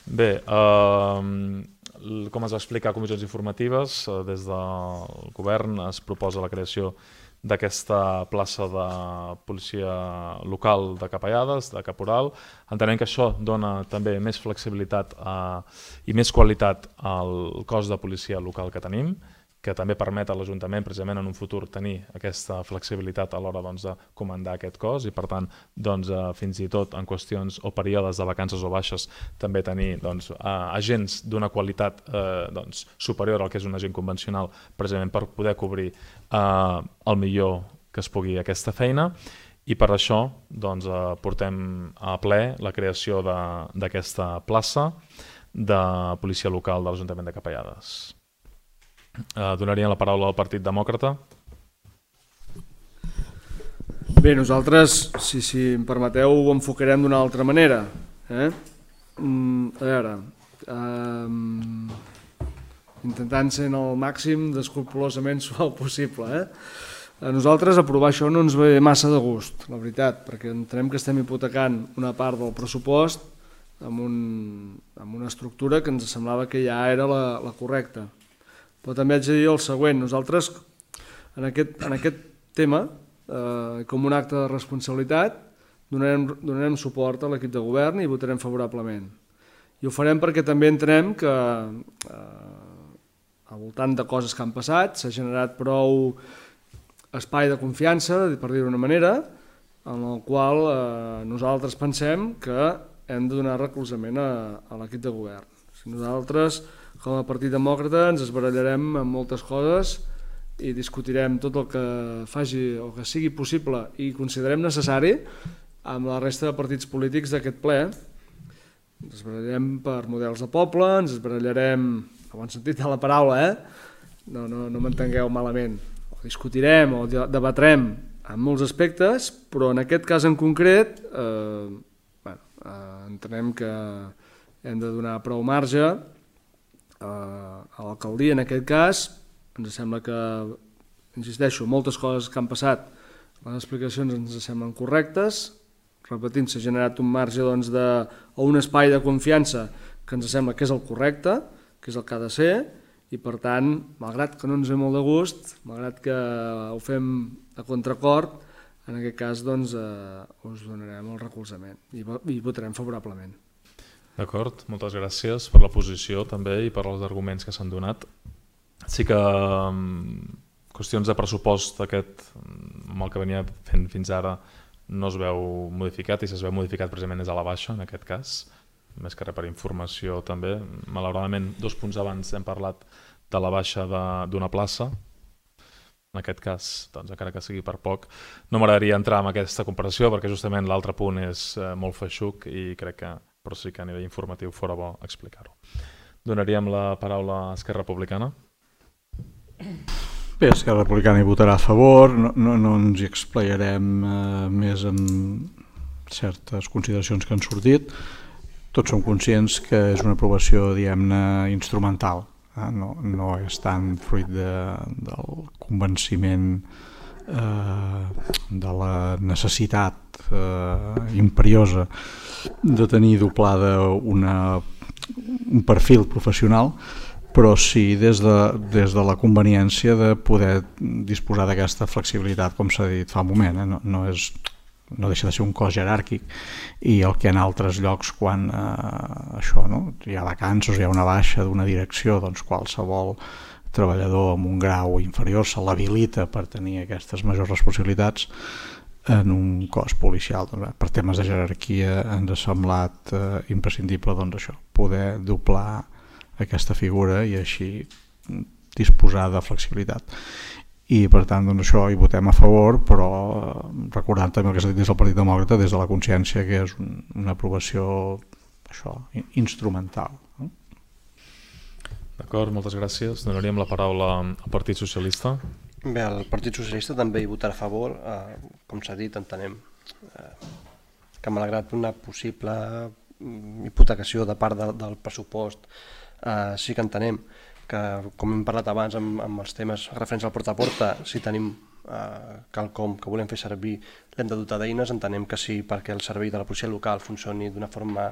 Bé, com es va explicar a comissions informatives, des del govern es proposa la creació d'aquesta plaça de policia local de Capellades, de Caporal, entenent que això dona també més flexibilitat i més qualitat al cos de policia local que tenim, que també permet a l'Ajuntament precisament en un futur tenir aquesta flexibilitat a l'hora de comandar aquest cos i per tant fins i tot en qüestions o períodes de vacances o baixes també tenir agents d'una qualitat superior al que és un agent convencional precisament per poder cobrir el millor que es pugui aquesta feina i per això portem a ple la creació d'aquesta plaça de policia local de l'Ajuntament de Capellades. Donaria la paraula al Partit Demòcrata. Bé, nosaltres, si em permeteu, ho enfocarem d'una altra manera. A veure, intentant ser el màxim d'escrupolosament suau possible. A nosaltres aprovar això no ens ve massa de gust, la veritat, perquè entenem que estem hipotecant una part del pressupost amb una estructura que ens semblava que ja era la correcta. Però també haig de dir el següent, nosaltres en aquest tema, com un acte de responsabilitat, donarem suport a l'equip de govern i votarem favorablement. I ho farem perquè també entenem que al voltant de coses que han passat s'ha generat prou espai de confiança, per dir-ho d'una manera, en el qual nosaltres pensem que hem de donar recolzament a l'equip de govern. Si nosaltres, com a Partit Demòcrata, ens esbarallarem en moltes coses i discutirem tot el que faci o que sigui possible i considerem necessari amb la resta de partits polítics d'aquest ple. Ens esbarallarem per models de poble, ens esbarallarem, en bon sentit de la paraula, no m'entengueu malament. O discutirem o debatrem en molts aspectes, però en aquest cas en concret entenem que hem de donar prou marge a l'alcaldia. En aquest cas ens sembla que, insisteixo, moltes coses que han passat, les explicacions ens semblen correctes, repetint, s'ha generat un marge o un espai de confiança que ens sembla que és el correcte, que és el que ha de ser, i per tant, malgrat que no ens ve molt de gust, malgrat que ho fem a contracor, en aquest cas us donarem el recolzament i votarem favorablement. D'acord, moltes gràcies per la posició també i per els arguments que s'han donat. Sí que qüestions de pressupost aquest, amb el que venia fent fins ara, no es veu modificat i si es veu modificat precisament és a la baixa en aquest cas, més que res per informació també. Malauradament, 2 punts abans hem parlat de la baixa d'una plaça. En aquest cas, encara que sigui per poc, no m'agradaria entrar en aquesta comparació perquè justament l'altre punt és molt feixuc i crec que però sí que a nivell informatiu fora bo explicar-ho. donaríem la paraula a Esquerra Republicana. Bé, Esquerra Republicana hi votarà a favor, no ens hi explayarem més en certes consideracions que han sortit. Tots som conscients que és una aprovació, diguem-ne, instrumental. No és tant fruit del convenciment de la necessitat imperiosa de tenir doblada un perfil professional, però sí des de la conveniència de poder disposar d'aquesta flexibilitat, com s'ha dit fa un moment. No deixa de ser un cos jeràrquic, i el que en altres llocs, quan hi ha vacances, hi ha una baixa d'una direcció, doncs qualsevol treballador amb un grau inferior se l'habilita per tenir aquestes majors responsabilitats. En un cos policial, per temes de jerarquia, ens ha semblat imprescindible poder doblar aquesta figura i així disposar de flexibilitat. I per tant això hi votem a favor, però recordant també el que s'ha dit des del Partit Demòcrata, des de la consciència que és una aprovació instrumental. D'acord, moltes gràcies. Donaríem la paraula al Partit Socialista. Bé, el Partit Socialista també hi votarà a favor. Com s'ha dit, entenem que malgrat una possible hipotecació de part del pressupost, sí que entenem que, com hem parlat abans amb els temes referents al porta a porta, si tenim quelcom que volem fer servir, l'hem de dotar d'eines. Entenem que sí, perquè el servei de la policia local funcioni d'una forma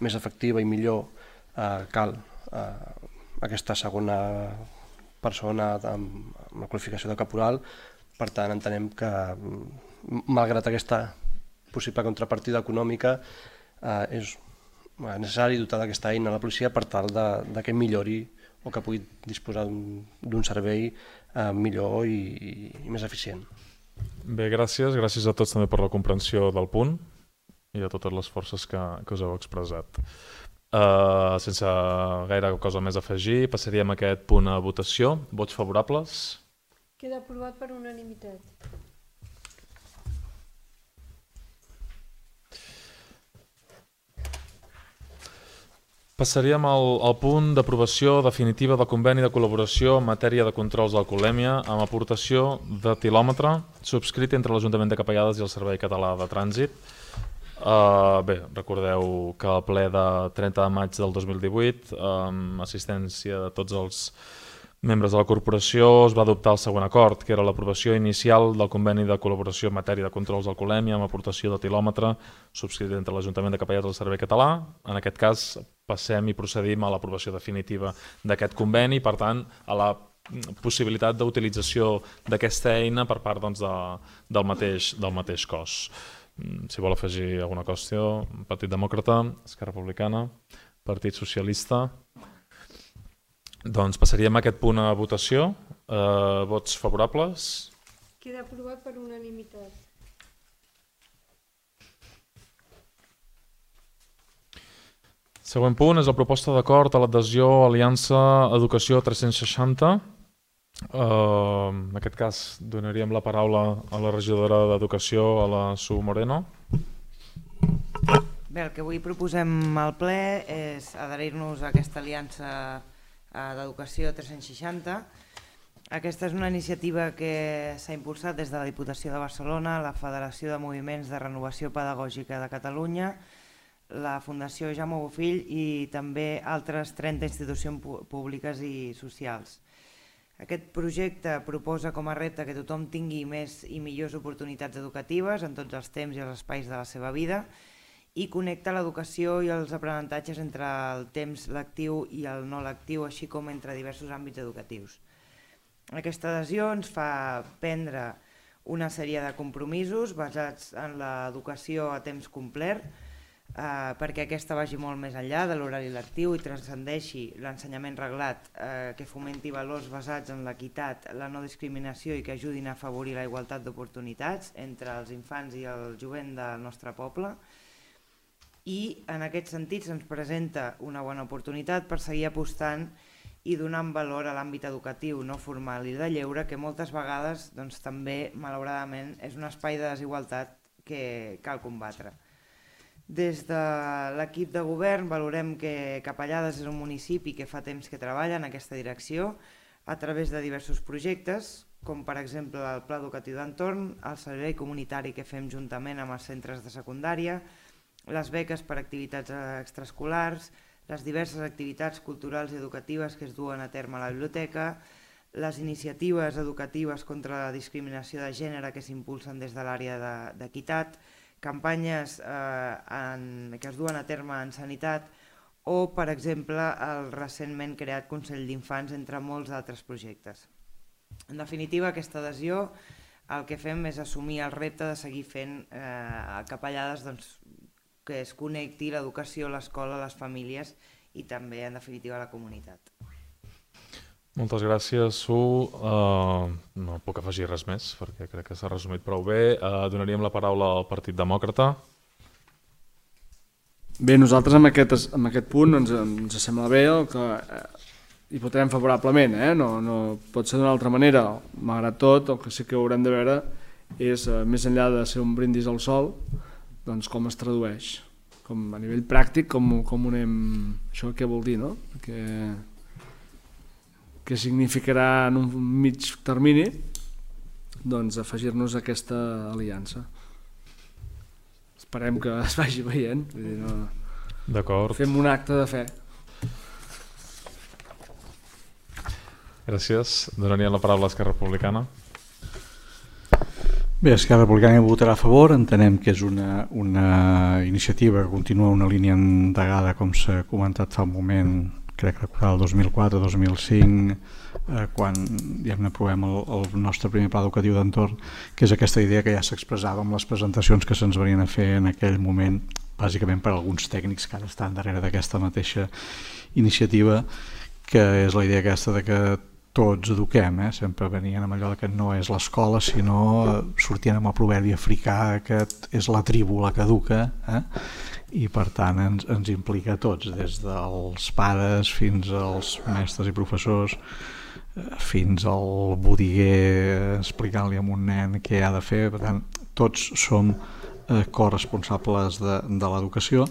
més efectiva i millor, cal aquesta segona persona amb la qualificació de caporal. Per tant, entenem que, malgrat aquesta possible contrapartida econòmica, és necessari dotar d'aquesta eina a la policia per tal de que millori o que pugui disposar d'un servei millor i més eficient. Bé, gràcies. Gràcies a tots també per la comprensió del punt i a totes les forces que us heu expressat. Sense gaire cosa més a afegir, passaríem a aquest punt a votació. Vots favorables? Queda aprovat per unanimitat. Passaríem al punt d'aprovació definitiva del conveni de col·laboració en matèria de controls d'alcoholèmia amb aportació de tilòmetre subscrit entre l'Ajuntament de Capellades i el Servei Català de Trànsit. Bé, recordeu que al ple de 30 de maig del 2018, amb assistència de tots els membres de la corporació, es va adoptar el següent acord, que era l'aprovació inicial del conveni de col·laboració en matèria de controls d'alcoholèmia amb aportació de tilòmetre subscrit entre l'Ajuntament de Capellades i el Servei Català. En aquest cas passem i procedim a l'aprovació definitiva d'aquest conveni, per tant, a la possibilitat d'utilització d'aquesta eina per part del mateix cos. Si vol afegir alguna qüestió, Partit Demòcrata, Esquerra Republicana, Partit Socialista. Doncs passaríem a aquest punt a votació. Vots favorables? Queda aprovat per unanimitat. Següent punt és la proposta d'acord a l'adhesió a Aliança Educació 360. En aquest cas donaríem la paraula a la regidora d'Educació, a la Su Moreno. Bé, el que avui proposem al ple és adherir-nos a aquesta Aliança d'Educació 360. Aquesta és una iniciativa que s'ha impulsat des de la Diputació de Barcelona, la Federació de Moviments de Renovació Pedagògica de Catalunya, la Fundació Jaume Bofill i també altres 30 institucions públiques i socials. Aquest projecte proposa com a repte que tothom tingui més i millors oportunitats educatives en tots els temps i els espais de la seva vida i connecta l'educació i els aprenentatges entre el temps lectiu i el no lectiu, així com entre diversos àmbits educatius. Aquesta adhesió ens fa prendre una sèrie de compromisos basats en l'educació a temps complet, perquè aquesta vagi molt més enllà de l'horari lectiu i transcendeixi l'ensenyament reglat, que fomenti valors basats en l'equitat, la no discriminació i que ajudin a afavorir la igualtat d'oportunitats entre els infants i el jovent del nostre poble. I en aquest sentit se'ns presenta una bona oportunitat per seguir apostant i donant valor a l'àmbit educatiu no formal i de lleure, que moltes vegades també, malauradament, és un espai de desigualtat que cal combatre. Des de l'equip de govern valorem que Capellades és un municipi que fa temps que treballa en aquesta direcció a través de diversos projectes, com per exemple el Pla Educatiu d'Entorn, el servei comunitari que fem juntament amb els centres de secundària, les beques per activitats extraescolars, les diverses activitats culturals i educatives que es duen a terme a la biblioteca, les iniciatives educatives contra la discriminació de gènere que s'impulsen des de l'àrea d'equitat, campanyes que es duen a terme en sanitat o, per exemple, el recentment creat Consell d'Infants, entre molts altres projectes. En definitiva, aquesta adhesió el que fem és assumir el repte de seguir fent Capellades que es connecti l'educació, l'escola, les famílies i també, en definitiva, la comunitat. Moltes gràcies, Su. No puc afegir res més perquè crec que s'ha resumit prou bé. Donaríem la paraula al Partit Demòcrata. Bé, nosaltres amb aquest punt ens sembla bé que hi votarem favorablement, no pot ser d'una altra manera. Malgrat tot, el que sí que haurem de veure és, més enllà de ser un brindis al sol, doncs com es tradueix, com a nivell pràctic, com ho anem... Això què vol dir, no? Què significarà en un mig termini doncs afegir-nos a aquesta aliança. Esperem que es vagi veient. D'acord. Fem un acte de fe. Gràcies. Donaria la paraula a Esquerra Republicana. Bé, Esquerra Republicana hi votarà a favor. Entenem que és una iniciativa que continua una línia endegada, com s'ha comentat fa un moment, crec recordar el 2004-2005, quan aprovem el nostre primer pla educatiu d'entorn, que és aquesta idea que ja s'expressava amb les presentacions que se'ns venien a fer en aquell moment, bàsicament per alguns tècnics que ara estan darrere d'aquesta mateixa iniciativa, que és la idea aquesta de que tots eduquem, sempre venien amb allò que no és l'escola, sinó sortien amb el proverbi africà que és la tribu la que educa, i per tant ens implica a tots, des dels pares fins als mestres i professors, fins al botiguer explicant-li a un nen què ha de fer. Per tant, tots som corresponsables de l'educació,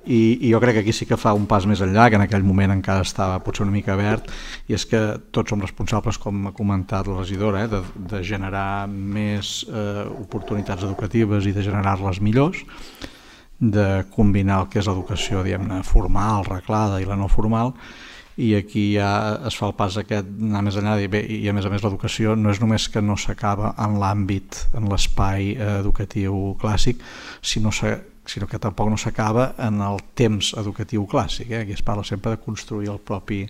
i jo crec que aquí sí que fa un pas més enllà, que en aquell moment encara estava potser una mica verd, i és que tots som responsables, com ha comentat la regidora, de generar més oportunitats educatives i de generar-les millors, de combinar el que és l'educació, diguem-ne, formal, reglada i la no formal, i aquí ja es fa el pas aquest, anar més enllà, i a més l'educació no és només que no s'acaba en l'àmbit, en l'espai educatiu clàssic, sinó que tampoc no s'acaba en el temps educatiu clàssic. Aquí es parla sempre de construir el propi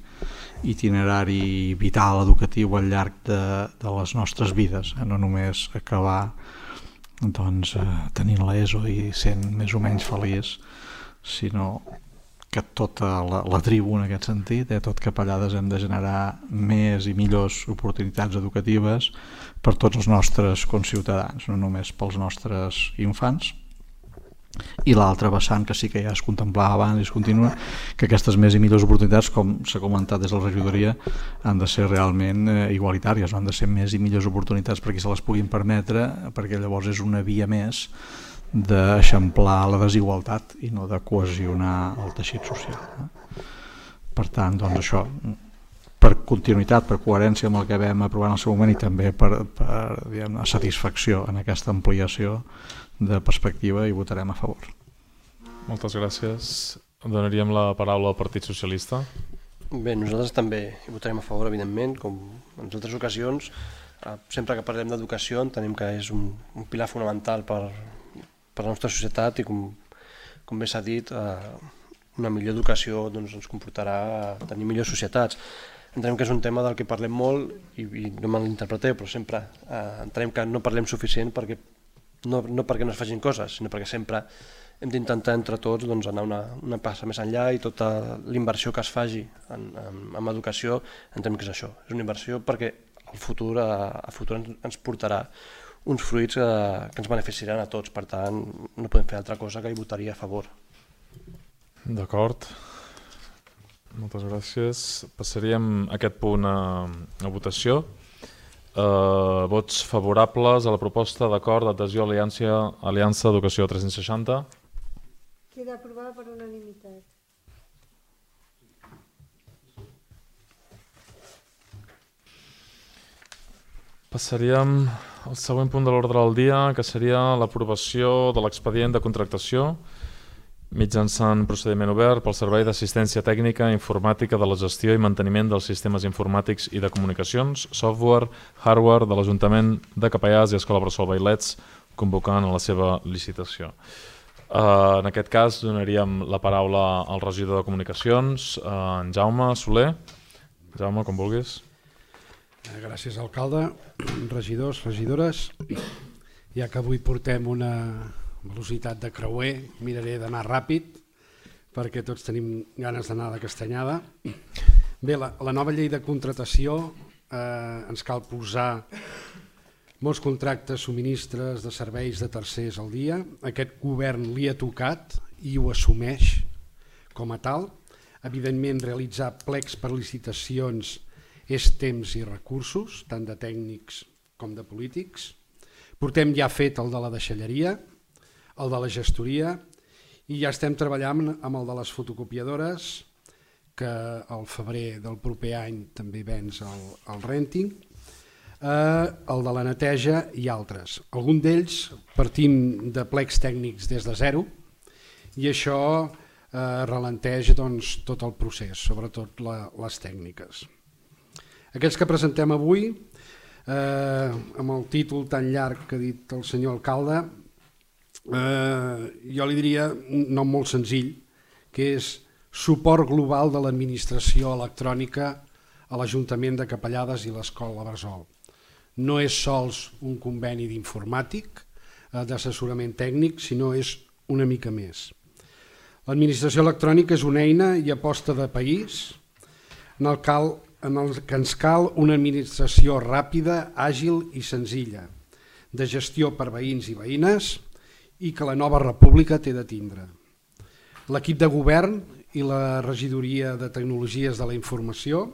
itinerari vital educatiu al llarg de les nostres vides, no només acabar tenint l'ESO i sent més o menys feliç, sinó que tota la tribu en aquest sentit, tot Capellades, hem de generar més i millors oportunitats educatives per tots els nostres conciutadans, no només pels nostres infants. I l'altre vessant, que sí que ja es contemplava abans i es continua, que aquestes més i millors oportunitats, com s'ha comentat des de la regidoria, han de ser realment igualitàries, no han de ser més i millors oportunitats per qui se les puguin permetre, perquè llavors és una via més d'eixamplar la desigualtat i no de cohesionar el teixit social. Per tant, doncs això, per continuïtat, per coherència amb el que vam aprovar en el seu moment i també per satisfacció en aquesta ampliació de perspectiva, hi votarem a favor. Moltes gràcies. Donaríem la paraula al Partit Socialista. Bé, nosaltres també hi votarem a favor, evidentment, com en altres ocasions. Sempre que parlem d'educació entenem que és un pilar fonamental per la nostra societat i, com bé s'ha dit, una millor educació ens comportarà a tenir millors societats. Entenem que és un tema del que parlem molt i no malinterpreteu, però sempre entenem que no parlem suficient no perquè no es facin coses, sinó perquè sempre hem d'intentar entre tots anar una passa més enllà, i tota la inversió que es faci en educació entenem que és això, és una inversió perquè el futur ens portarà uns fruits que ens beneficiaran a tots, per tant no podem fer altra cosa que hi votaria a favor. D'acord, moltes gràcies. Passaríem aquest punt a votació. Vots favorables a la proposta d'acord d'adhesió a Aliança Educació 360. Queda aprovada per unanimitat. Passaríem al següent punt de l'ordre del dia, que seria l'aprovació de l'expedient de contractació mitjançant procediment obert pel Servei d'Assistència Tècnica Informàtica de la Gestió i Manteniment dels Sistemes Informàtics i de Comunicacions, Software, Hardware de l'Ajuntament de Capellades i Escola Bressol Vailets, convocant a la seva licitació. En aquest cas donaríem la paraula al regidor de Comunicacions, en Jaume Soler. Jaume, com vulguis. Gràcies, alcalde, regidors, regidores. Ja que avui portem una velocitat de creuer, miraré d'anar ràpid perquè tots tenim ganes d'anar de castanyada. Bé, la nova llei de contractació ens cal posar molts contractes, subministres de serveis de tercers al dia. Aquest govern li ha tocat i ho assumeix com a tal. Evidentment, realitzar plecs per licitacions és temps i recursos, tant de tècnics com de polítics. Portem ja fet el de la deixalleria, el de la gestoria, i ja estem treballant amb el de les fotocopiadores, que al febrer del proper any també venç el renting, el de la neteja i altres. Algun d'ells partim de plecs tècnics des de zero i això ralenteix tot el procés, sobretot les tècniques. Aquests que presentem avui, amb el títol tan llarg que ha dit el senyor alcalde, jo li diria un nom molt senzill, que és suport global de l'administració electrònica a l'Ajuntament de Capellades i l'Escola Bressol. No és sols un conveni d'informàtic, d'assessorament tècnic, sinó és una mica més. L'administració electrònica és una eina i aposta de país en el que ens cal una administració ràpida, àgil i senzilla, de gestió per veïns i veïnes i que la nova república té de tindre. L'equip de govern i la regidoria de tecnologies de la informació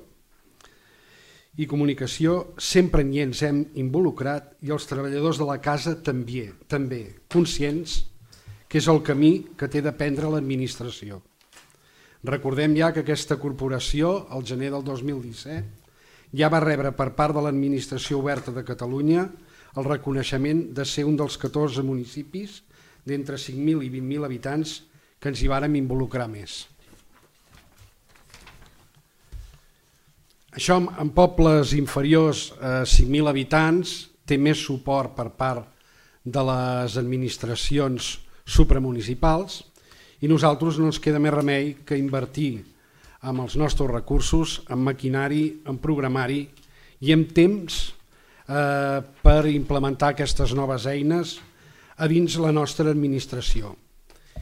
i comunicació sempre hi ens hem involucrat i els treballadors de la casa també conscients que és el camí que té de prendre l'administració. Recordem ja que aquesta corporació, al gener del 2017, ja va rebre per part de l'Administració Oberta de Catalunya el reconeixement de ser un dels 14 municipis d'entre 5.000 i 20.000 habitants que ens hi vàrem involucrar més. Això en pobles inferiors a 5.000 habitants té més suport per part de les administracions supramunicipals i nosaltres no ens queda més remei que invertir amb els nostres recursos, en maquinari, en programari i en temps per implementar aquestes noves eines a dins la nostra administració,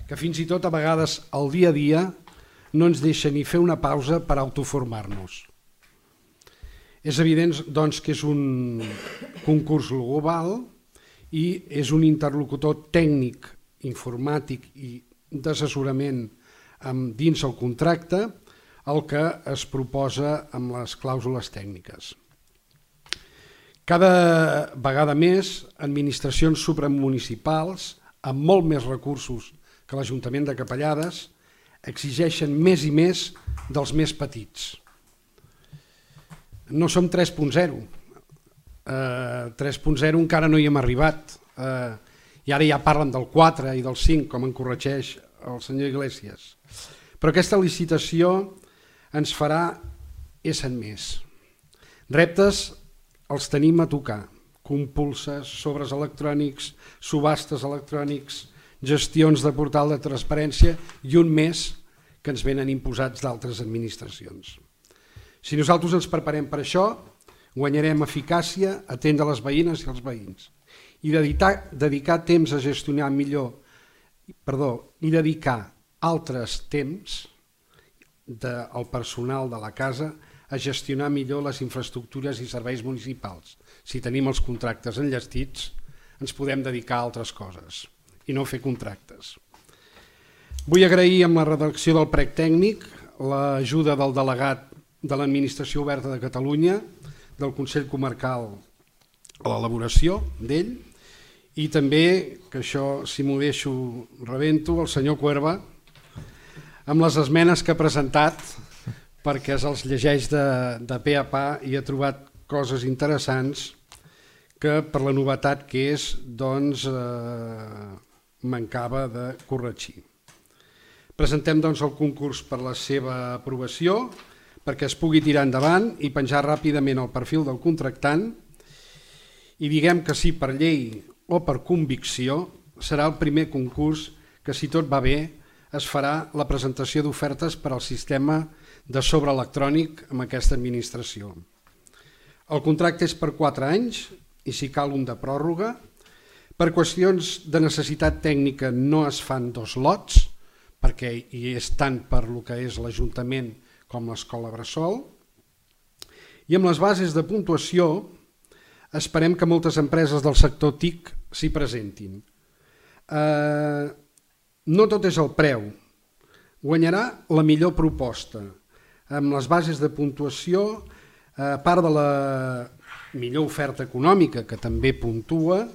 que fins i tot a vegades al dia a dia no ens deixa ni fer una pausa per autoformar-nos. És evident doncs, que és un concurs global i és un interlocutor tècnic, informàtic i d'assessorament dins el contracte el que es proposa amb les clàusules tècniques. Cada vegada més, administracions supramunicipals, amb molt més recursos que l'Ajuntament de Capellades, exigeixen més i més dels més petits. No som 3.0. 3.0 encara no hi hem arribat. I ara ja parlen del 4 i del 5, com en corregeix el senyor Iglesias. Però aquesta licitació ens farà ésser més. Reptes els tenim a tocar. Compulses, sobres electrònics, subhastes electrònics, gestions de portal de transparència i un més que ens venen imposats d'altres administracions. Si nosaltres ens preparem per això, guanyarem eficàcia, atendre les veïnes i els veïns. I dedicar temps a gestionar i dedicar altres temps del personal de la casa a gestionar millor les infraestructures i serveis municipals. Si tenim els contractes enllestits, ens podem dedicar a altres coses i no fer contractes. Vull agrair amb la redacció del prec tècnic l'ajuda del delegat de l'Administració Oberta de Catalunya, del Consell Comarcal a l'elaboració d'ell, I també, que això si m'ho deixo rebento, el senyor Cuerva, amb les esmenes que ha presentat, perquè se'ls llegeix de pe a pa i ha trobat coses interessants que per la novetat que és, doncs, mancava de corregir. Presentem doncs el concurs per la seva aprovació, perquè es pugui tirar endavant i penjar ràpidament el perfil del contractant, i diguem que sí per llei o per convicció serà el primer concurs que, si tot va bé, es farà la presentació d'ofertes per al sistema de sobre electrònic amb aquesta administració. El contracte és per 4 anys i si cal un de pròrroga. Per qüestions de necessitat tècnica no es fan 2 lots, perquè hi és tant per lo que és l'Ajuntament com l'Escola Bressol. I amb les bases de puntuació esperem que moltes empreses del sector TIC s'hi presentin. No tot és el preu, guanyarà la millor proposta. Amb les bases de puntuació, a part de la millor oferta econòmica, que també puntua,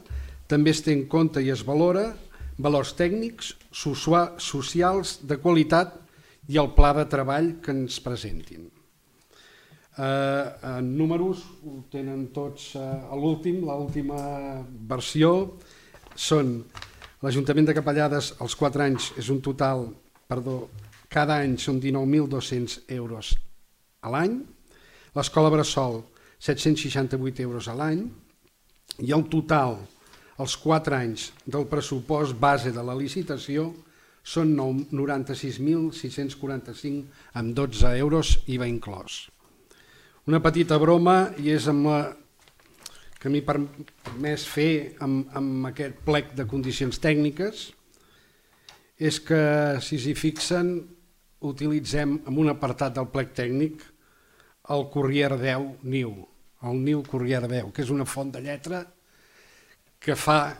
també es té en compte i es valora valors tècnics, socials, de qualitat i el pla de treball que ens presentin. En números ho tenen tots a l'última versió, són l'Ajuntament de Capellades els 4 anys és un total, cada any són 19.200 euros a l'any, l'Escola Bressol 768 euros a l'any i el total els 4 anys del pressupost base de la licitació són 96.645 amb 12 euros IVA inclòs. Una petita broma, i és amb la que m'he permès fer amb aquest plec de condicions tècniques, és que, si s'hi fixen, utilitzem en un apartat del plec tècnic el Corriere 10 NIU, el NIU Corriere 10, que és una font de lletra que fa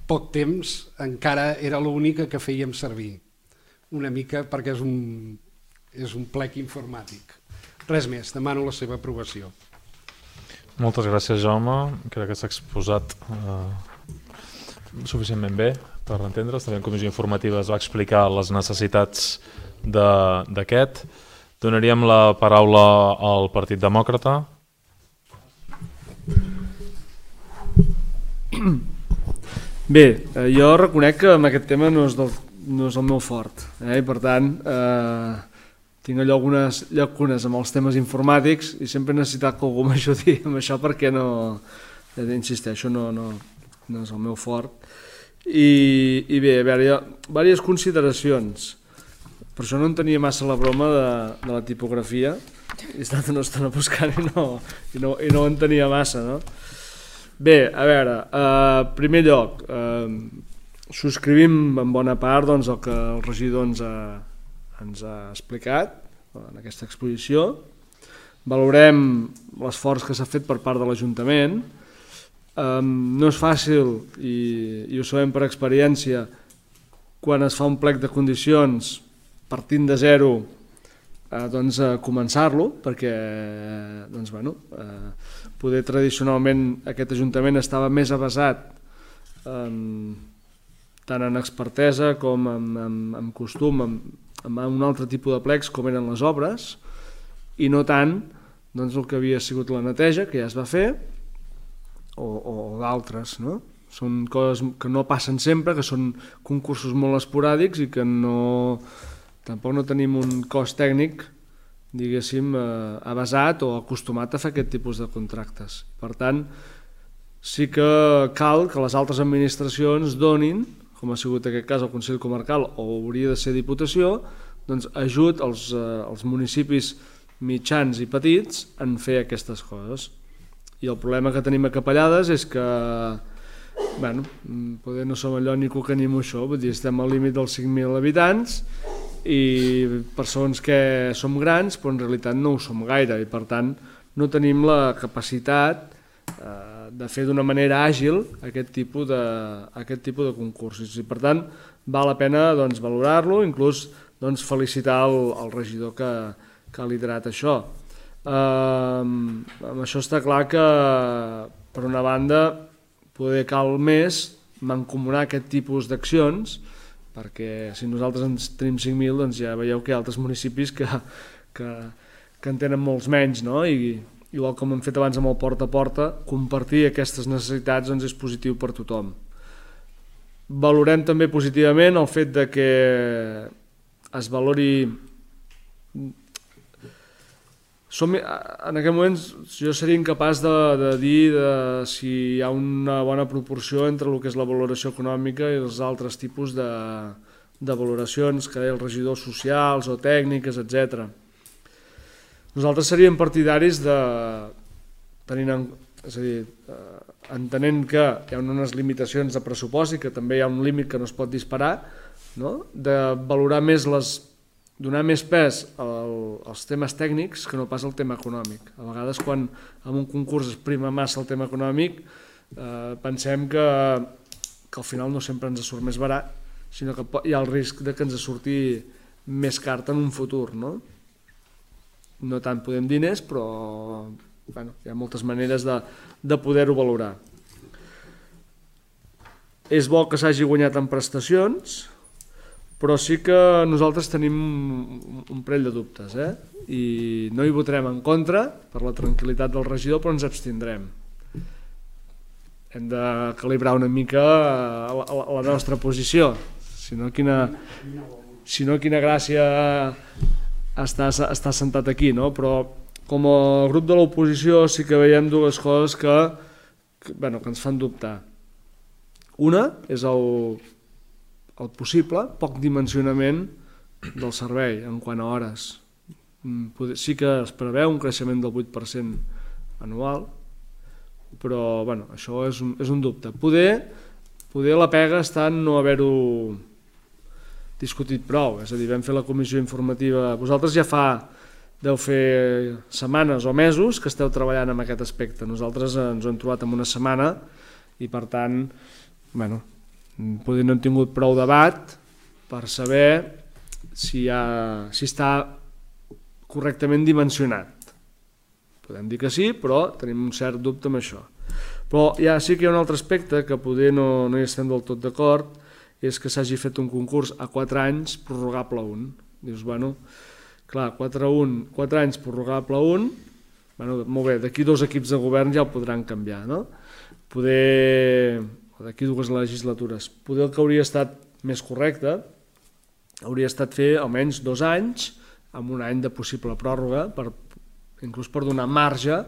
poc temps encara era l'única que fèiem servir, una mica perquè és un plec informàtic. Res més, demano la seva aprovació. Moltes gràcies, Jaume. Crec que s'ha exposat suficientment bé per entendre's. També en comissió informativa es va explicar les necessitats d'aquest. Donaríem la paraula al Partit Demòcrata. Bé, jo reconec que amb aquest tema no és el meu fort, i per tant tinc allò algunes llacunes amb els temes informàtics i sempre he necessitat que algú m'ajudi amb això perquè no, insisteixo, no és el meu fort. I bé, a veure, hi ha diverses consideracions. Per això no en tenia massa la broma de la tipografia. He estat una estona buscant i no en tenia massa, no? Bé, a veure, en primer lloc, subscrivim en bona part el que el regidor ens ha explicat en aquesta exposició. Valorem l'esforç que s'ha fet per part de l'Ajuntament. No és fàcil, i ho sabem per experiència, quan es fa un plec de condicions partint de zero, començar-lo, perquè poder tradicionalment aquest Ajuntament estava més avesat tant en expertesa com en costum, en un altre tipus de plecs com eren les obres, i no tant el que havia sigut la neteja, que ja es va fer, o d'altres, no? Són coses que no passen sempre, que són concursos molt esporàdics i que tampoc no tenim un cos tècnic, diguéssim, avesat o acostumat a fer aquest tipus de contractes. Per tant, sí que cal que les altres administracions donin, com ha sigut aquest cas el Consell Comarcal o hauria de ser Diputació, ajut als municipis mitjans i petits en fer aquestes coses. I el problema que tenim a Capellades és que poder no som allò ni cuca ni moixó, vull dir, estem al límit dels 5.000 habitants i per segons que som grans, però en realitat no ho som gaire i per tant no tenim la capacitat de fer d'una manera àgil aquest tipus de concursos i per tant val la pena valorar-lo, inclús felicitar el regidor que ha liderat això. Amb això està clar que per una banda poder cal més mancomunar aquest tipus d'accions, perquè si nosaltres ens tenim 5.000, doncs ja veieu que hi ha altres municipis que en tenen molts menys, no? I igual com hem fet abans amb el porta a porta, compartir aquestes necessitats doncs és positiu per tothom. Valorem també positivament el fet de que es valori... En aquest moment jo seria incapaç de dir si hi ha una bona proporció entre el que és la valoració econòmica i els altres tipus de valoracions que deia els regidors socials o tècniques, etc. Nosaltres seríem partidaris de, entenent que hi ha unes limitacions de pressupost i que també hi ha un límit que no es pot disparar, no? De valorar més donar més pes als temes tècnics que no pas al tema econòmic. A vegades quan en un concurs es prima massa el tema econòmic pensem que al final no sempre ens surt més barat, sinó que hi ha el risc de que ens surti més car en un futur, no? No tant podem diners, però hi ha moltes maneres de poder-ho valorar. És bo que s'hagi guanyat en prestacions, però sí que nosaltres tenim un parell de dubtes, i no hi votarem en contra per la tranquil·litat del regidor, però ens abstindrem. Hem de calibrar una mica la nostra posició, si no quina gràcia està sentat aquí, no? Però com a grup de l'oposició sí que veiem dues coses que ens fan dubtar. Una és el possible poc dimensionament del servei en quant a hores. Sí que es preveu un creixement del 8% anual, però això és un dubte. Poder la pega està en no haver-ho discutit prou, és a dir, vam fer la comissió informativa. Vosaltres ja deu fer setmanes o mesos que esteu treballant en aquest aspecte. Nosaltres ens ho hem trobat en una setmana i per tant, potser no hem tingut prou debat per saber si està correctament dimensionat. Podem dir que sí, però tenim un cert dubte amb això. Però ja sí que hi ha un altre aspecte que poder no hi estem del tot d'acord, és que s'hagi fet un concurs a 4 anys prorrogable a 1. Dius, clar, 4 anys prorrogable a 1, molt bé, d'aquí 2 equips de govern ja ho podran canviar, no? D'aquí 2 legislatures. Poder el que hauria estat més correcte hauria estat fer almenys 2 anys amb un any de possible pròrroga, inclús per donar marge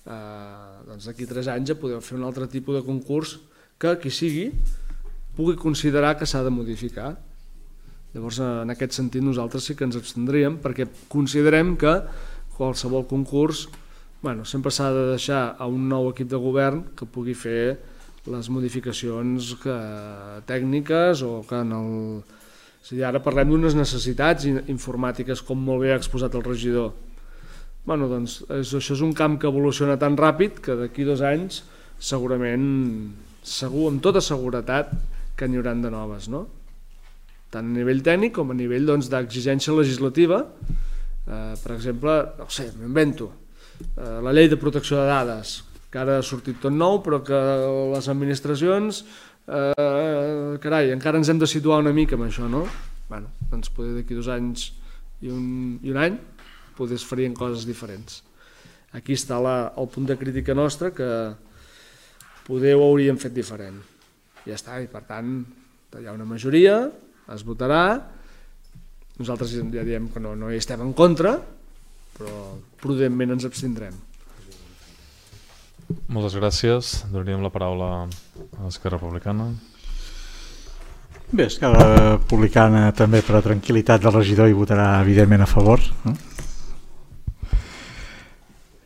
d'aquí 3 anys a poder fer un altre tipus de concurs que qui sigui pugui considerar que s'ha de modificar. Llavors, en aquest sentit, nosaltres sí que ens abstindríem perquè considerem que qualsevol concurs sempre s'ha de deixar a un nou equip de govern que pugui fer les modificacions tècniques o que ara parlem d'unes necessitats informàtiques, com molt bé ha exposat el regidor. Això és un camp que evoluciona tan ràpid que d'aquí 2 anys segurament, amb tota seguretat, que n'hi hauran de noves, no? Tant a nivell tècnic com a nivell d'exigència legislativa. Per exemple, no sé, m'invento, la llei de protecció de dades, que ara ha sortit tot nou, però que les administracions, encara ens hem de situar una mica amb això, no? Doncs poder d'aquí 2 anys i un any poder es farien coses diferents. Aquí està el punt de crítica nostra, que poder ho hauríem fet diferent. Ja està, i per tant hi ha una majoria, es votarà, nosaltres ja diem que no hi estem en contra, però prudentment ens abstindrem. Moltes gràcies. Donaríem la paraula a l'Esquerra Republicana. Bé, Esquerra Republicana també per a tranquil·litat del regidor hi votarà evidentment a favor, no?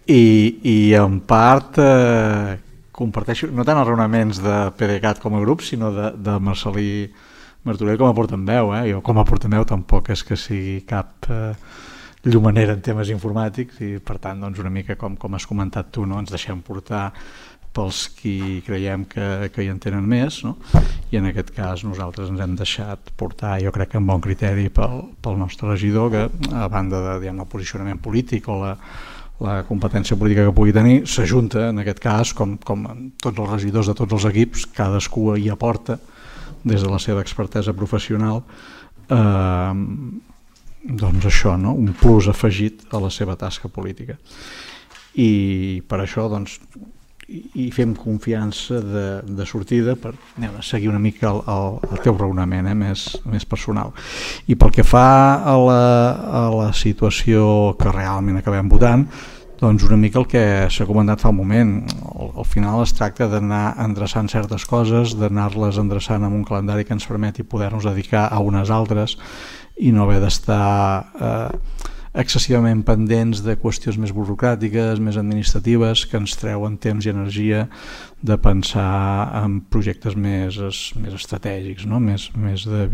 I en part comparteixo no tant els raonaments de PDeCAT com a grup, sinó de Marcel·lí Martorell com a portaveu. Jo com a portaveu tampoc és que sigui cap llumanera en temes informàtics i per tant una mica com has comentat tu, ens deixem portar pels qui creiem que hi entenen més, i en aquest cas nosaltres ens hem deixat portar, jo crec que amb bon criteri, pel nostre regidor, que a banda del posicionament polític o la competència política que pugui tenir, s'ajunta en aquest cas, com tots els regidors de tots els equips, cadascú hi aporta des de la seva expertesa professional doncs això, no? Un plus afegit a la seva tasca política. I per això doncs i fem confiança de sortida per seguir una mica el teu raonament més personal. I pel que fa a la situació que realment acabem votant, doncs una mica el que s'ha comentat fa un moment, al final es tracta d'anar endreçant certes coses, d'anar-les endreçant amb un calendari que ens permeti poder-nos dedicar a unes altres i no haver d'estar excessivament pendents de qüestions més burocràtiques, més administratives, que ens treuen temps i energia de pensar en projectes més estratègics, no? més de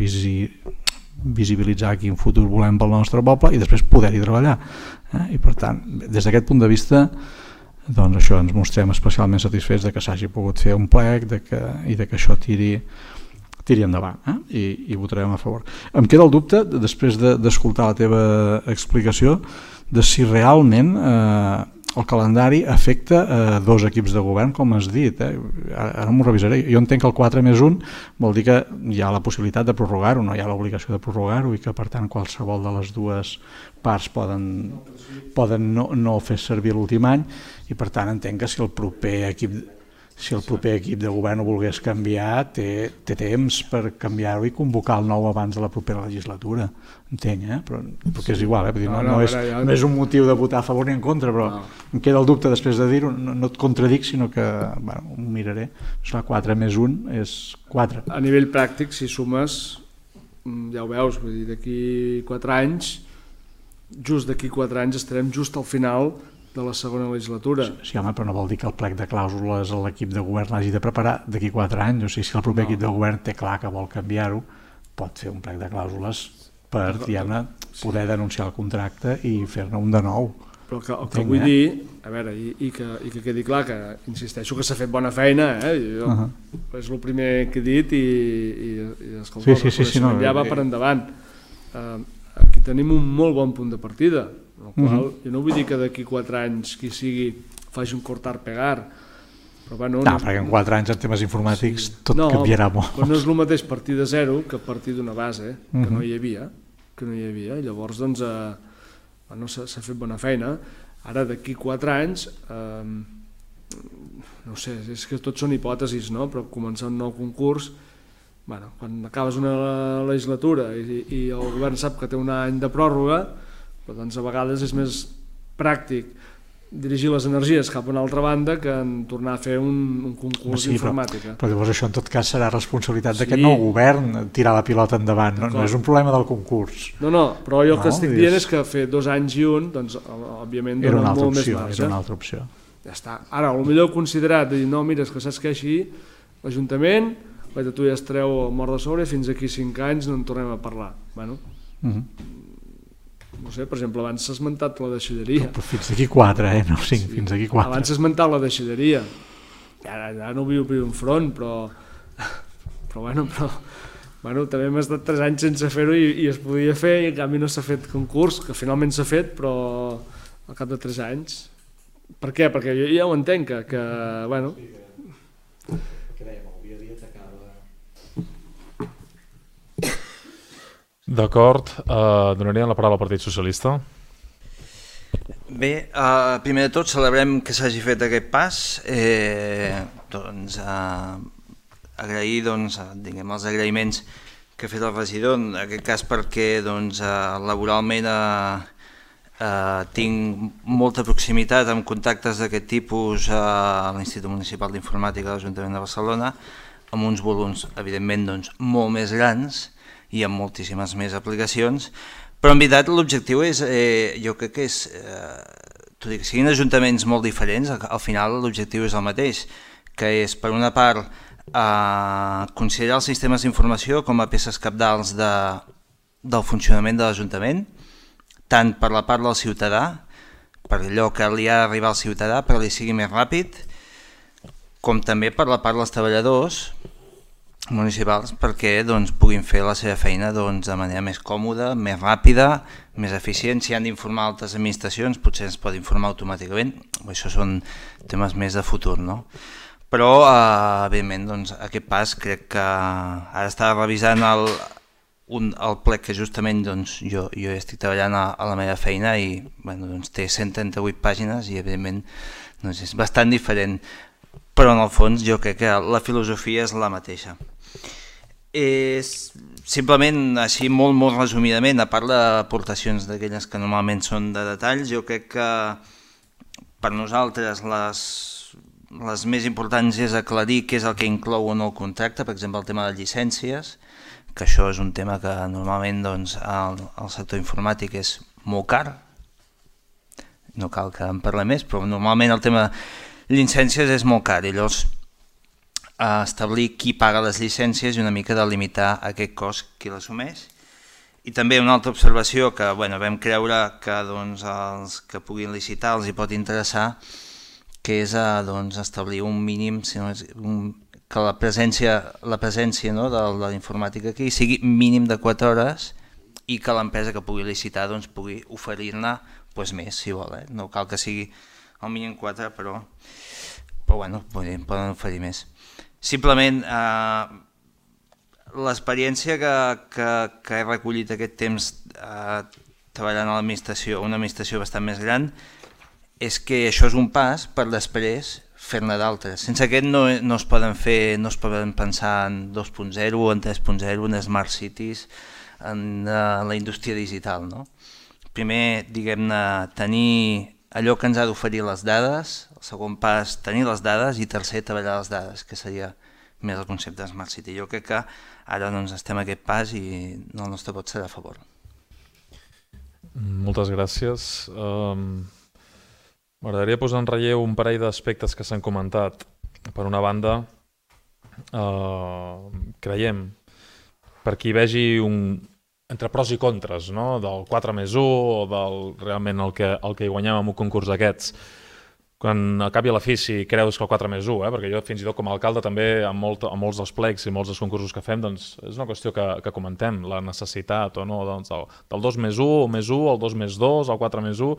visibilitzar quin futur volem pel nostre poble i després poder-hi treballar. I per tant, des d'aquest punt de vista, doncs això, ens mostrem especialment satisfets de que s'hagi pogut fer un plec i de que això tiri endavant, i votarem a favor. Em queda el dubte, després d'escoltar la teva explicació, de si realment el calendari afecta dos equips de govern, com has dit. Ara m'ho revisaré. Jo entenc que el 4+1 vol dir que hi ha la possibilitat de prorrogar-ho, no hi ha l'obligació de prorrogar-ho i que per tant qualsevol de les dues parts poden no fer servir l'últim any i per tant entenc que si el proper equip de govern ho volgués canviar, té temps per canviar-ho i convocar el nou abans de la propera legislatura. Entenc, però que és igual, no és un motiu de votar a favor ni en contra, però em queda el dubte després de dir-ho, no et contradic, sinó que ho miraré. 4+1 és 4. A nivell pràctic, si sumes, ja ho veus, d'aquí 4 anys, just d'aquí 4 anys estarem just al final de la segona legislatura. Sí, home, però no vol dir que el plec de clàusules a l'equip de govern l'hagi de preparar d'aquí 4 anys. O sigui, si el proper equip de govern té clar que vol canviar-ho, pot fer un plec de clàusules per poder denunciar el contracte i fer-ne un de nou. Però el que vull dir, a veure, i que quedi clar que, insisteixo, que s'ha fet bona feina, és el primer que he dit i escolta, el reconeixement ja va per endavant. Aquí tenim un molt bon punt de partida, el qual jo no vull dir que d'aquí 4 anys qui sigui faci un cortar-pegar, però perquè en 4 anys en temes informàtics tot canviarà molt. Però no és el mateix partir de zero que partir d'una base que no hi havia, i llavors doncs s'ha fet bona feina. Ara d'aquí 4 anys no sé, és que tot són hipòtesis, però començar un nou concurs, quan acabes una legislatura i el govern sap que té un any de pròrroga, però doncs a vegades és més pràctic dirigir les energies cap a una altra banda que en tornar a fer un concurs d'informàtica. Però llavors això en tot cas serà responsabilitat d'aquest nou govern tirar la pilota endavant, no és un problema del concurs. No, però jo el que estic dient és que fer 2 anys i un, doncs òbviament dona molt més marge. Era una altra opció. Ja està. Ara, potser heu considerat de dir, no, mira, és que saps que així l'Ajuntament, tu ja es treu el mort de sobre i fins aquí 5 anys no en tornem a parlar. No sé, per exemple, abans s'ha esmentat la deixalleria. Però fins d'aquí 4, no 5, fins d'aquí 4. Abans s'ha esmentat la deixalleria. Ja no viu enfront, però també hem estat 3 anys sense fer-ho i es podia fer i en canvi no s'ha fet concurs, que finalment s'ha fet, però al cap de 3 anys. Per què? Perquè jo ja ho entenc, que bueno... D'acord, donaríem la paraula al Partit Socialista. Bé, primer de tot celebrem que s'hagi fet aquest pas, agrair els agraïments que ha fet el regidor, en aquest cas perquè laboralment tinc molta proximitat amb contactes d'aquest tipus a l'Institut Municipal d'Informàtica de l'Ajuntament de Barcelona, amb uns volums evidentment molt més grans i amb moltíssimes més aplicacions, però en veritat l'objectiu és, jo crec que és, tot i que siguin ajuntaments molt diferents, al final l'objectiu és el mateix, que és per una part considerar els sistemes d'informació com a peces cabdals del funcionament de l'Ajuntament, tant per la part del ciutadà, per allò que li ha d'arribar al ciutadà perquè li sigui més ràpid, com també per la part dels treballadors, municipals perquè puguin fer la seva feina de manera més còmoda, més ràpida, més eficient. Si han d'informar altres administracions, potser ens pot informar automàticament. Això són temes més de futur, no? Però, evidentment, aquest pas crec que ara estava revisant el plec que justament jo estic treballant a la meva feina i té 138 pàgines i, evidentment, és bastant diferent. Però en el fons jo crec que la filosofia és la mateixa. Simplement, així molt resumidament, a part d'aportacions d'aquelles que normalment són de detalls, jo crec que per nosaltres les més importants és aclarir què és el que inclou o no el contracte, per exemple el tema de llicències, que això és un tema que normalment al sector informàtic és molt car, no cal que en parlem més, però normalment el tema llicències és molt car i llavors establir qui paga les llicències i una mica delimitar aquest cost qui l'assumeix. I també una altra observació que vam creure que els que puguin licitar els hi pot interessar, que és establir un mínim, que la presència de la informàtica aquí sigui mínim de 4 hores i que l'empresa que pugui licitar pugui oferir-ne més, si vol. No cal que sigui al mínim 4, però poden oferir més. Simplement, l'experiència que he recollit aquest temps treballant a l'administració, una administració bastant més gran, és que això és un pas per després fer-ne d'altres. Sense aquest no es poden fer, no es poden pensar en 2.0 o en 3.0, en Smart Cities, en la indústria digital. Primer, diguem-ne, tenir allò que ens ha d'oferir les dades, el segon pas, tenir les dades, i tercer, treballar les dades, que seria més el concepte de Smart City. Jo crec que ara estem a aquest pas i el nostre vot serà a favor. Moltes gràcies. M'agradaria posar en relleu un parell d'aspectes que s'han comentat. Per una banda, creiem, per qui vegi entre pros i contres, del 4+1 o del realment el que hi guanyem amb un concurs d'aquests, quan acabi a la fi si creus que el 4+1, perquè jo fins i tot com a alcalde també amb molts dels plecs i molts dels concursos que fem, és una qüestió que comentem, la necessitat o no del 2+1, el +1, el 2+2, el 4+1,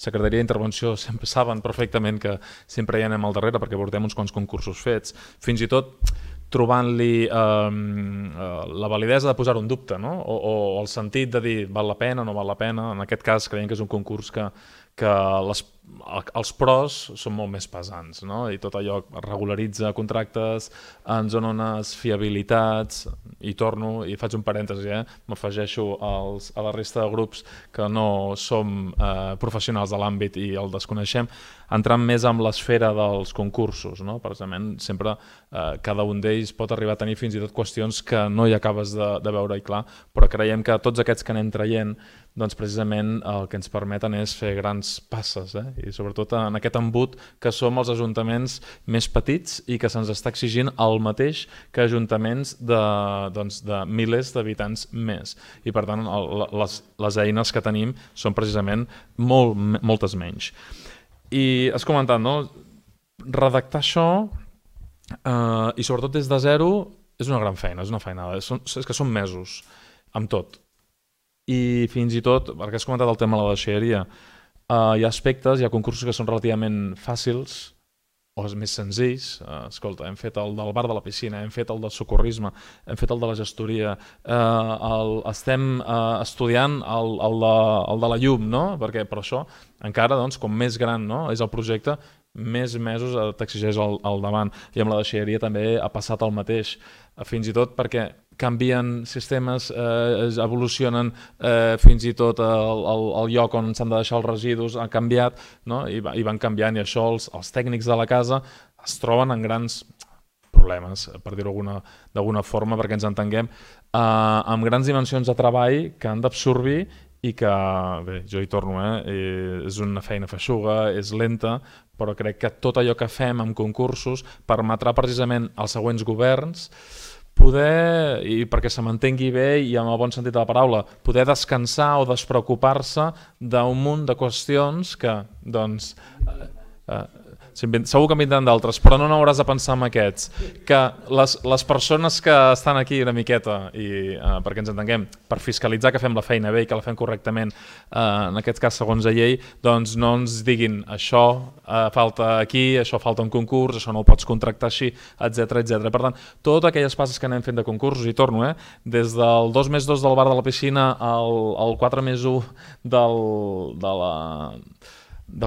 Secretaria d'Intervenció sempre saben perfectament que sempre hi anem al darrere perquè portem uns quants concursos fets, fins i tot trobant-li la validesa de posar-ho en dubte, o el sentit de dir val la pena o no val la pena. En aquest cas creiem que és un concurs que els pros són molt més pesants, i tot allò regularitza contractes, ens dona unes fiabilitats, i torno, i faig un parèntesi, m'afegeixo a la resta de grups que no som professionals de l'àmbit i el desconeixem, entrant més en l'esfera dels concursos. Precisament, sempre cada un d'ells pot arribar a tenir fins i tot qüestions que no hi acabes de veure-hi clar, però creiem que tots aquests que anem traient, precisament el que ens permeten és fer grans passes, i sobretot en aquest embut que som els ajuntaments més petits i que se'ns està exigint el mateix que ajuntaments de milers d'habitants més. I per tant, les eines que tenim són precisament moltes menys. I has comentat, redactar això i sobretot des de zero és una gran feina, és una feinada, és que són mesos amb tot. I fins i tot, perquè has comentat el tema de la deixalleria, hi ha aspectes, hi ha concursos que són relativament fàcils o més senzills. Escolta, hem fet el del bar de la piscina, hem fet el del socorrisme, hem fet el de la gestoria, estem estudiant el de la llum, perquè per això encara, com més gran és el projecte, més mesos t'exigeix al davant. I amb la deixalleria també ha passat el mateix, fins i tot perquè canvien sistemes, evolucionen, fins i tot el lloc on s'han de deixar els residus ha canviat, i van canviant, i això els tècnics de la casa es troben en grans problemes, per dir-ho d'alguna forma, perquè ens entenguem, amb grans dimensions de treball que han d'absorbir i que, bé, jo hi torno, és una feina feixuga, és lenta, però crec que tot allò que fem amb concursos permetrà precisament als següents governs poder, i perquè se m'entengui bé i amb el bon sentit de la paraula, poder descansar o despreocupar-se d'un munt de qüestions que, segur que en vindran d'altres, però no n'hauràs de pensar en aquests. Que les persones que estan aquí una miqueta, i perquè ens entenguem, per fiscalitzar que fem la feina bé i que la fem correctament, en aquest cas segons la llei, doncs no ens diguin això falta aquí, això falta un concurs, això no ho pots contractar així, etc etc. Per tant, totes aquelles passes que anem fent de concursos, i torno, des del 2+2 del bar de la piscina al 4+1 del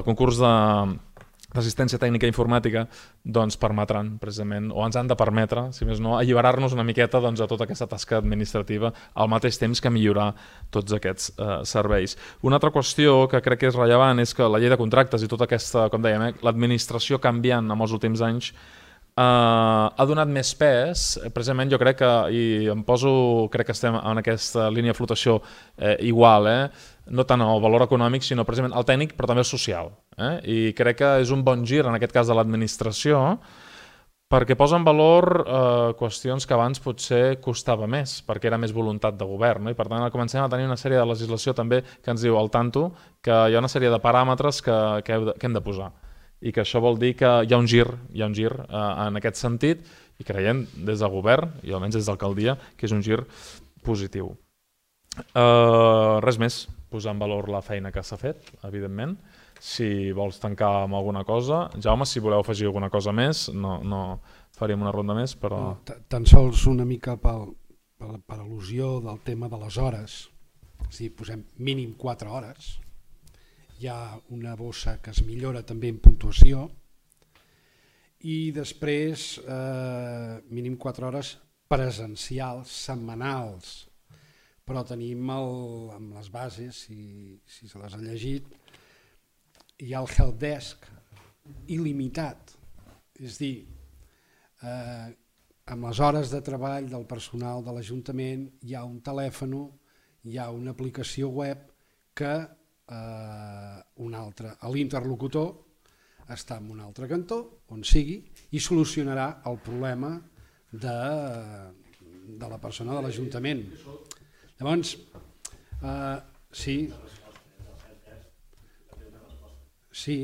concurs d'assistència tècnica i informàtica, doncs permetran precisament, o ens han de permetre, si més no, alliberar-nos una miqueta a tota aquesta tasca administrativa al mateix temps que millorar tots aquests serveis. Una altra qüestió que crec que és rellevant és que la llei de contractes i tota aquesta, com dèiem, l'administració canviant en els últims anys ha donat més pes, precisament jo crec que, i crec que estem en aquesta línia de flotació igual, no tant el valor econòmic, sinó precisament el tècnic, però també el social. I crec que és un bon gir, en aquest cas de l'administració, perquè posa en valor qüestions que abans potser costava més, perquè era més voluntat de govern, i per tant comencem a tenir una sèrie de legislació també que ens diu al tanto que hi ha una sèrie de paràmetres que hem de posar, i que això vol dir que hi ha un gir en aquest sentit, i creiem des del govern, i almenys des de l'alcaldia, que és un gir positiu. Res més, posar en valor la feina que s'ha fet, evidentment. Si vols tancar amb alguna cosa, Jaume, si voleu afegir alguna cosa més, no faríem una ronda més, però... Tan sols una mica per al·lusió del tema de les hores, si posem mínim 4 hores, hi ha una bossa que es millora també en puntuació, i després mínim 4 hores presencials, setmanals, però tenim amb les bases, si se les ha llegit, hi ha el helpdesk il·limitat, és a dir, amb les hores de treball del personal de l'Ajuntament hi ha un telèfon, hi ha una aplicació web que l'interlocutor està en un altre cantó, on sigui, i solucionarà el problema de la persona de l'Ajuntament. Llavors, sí,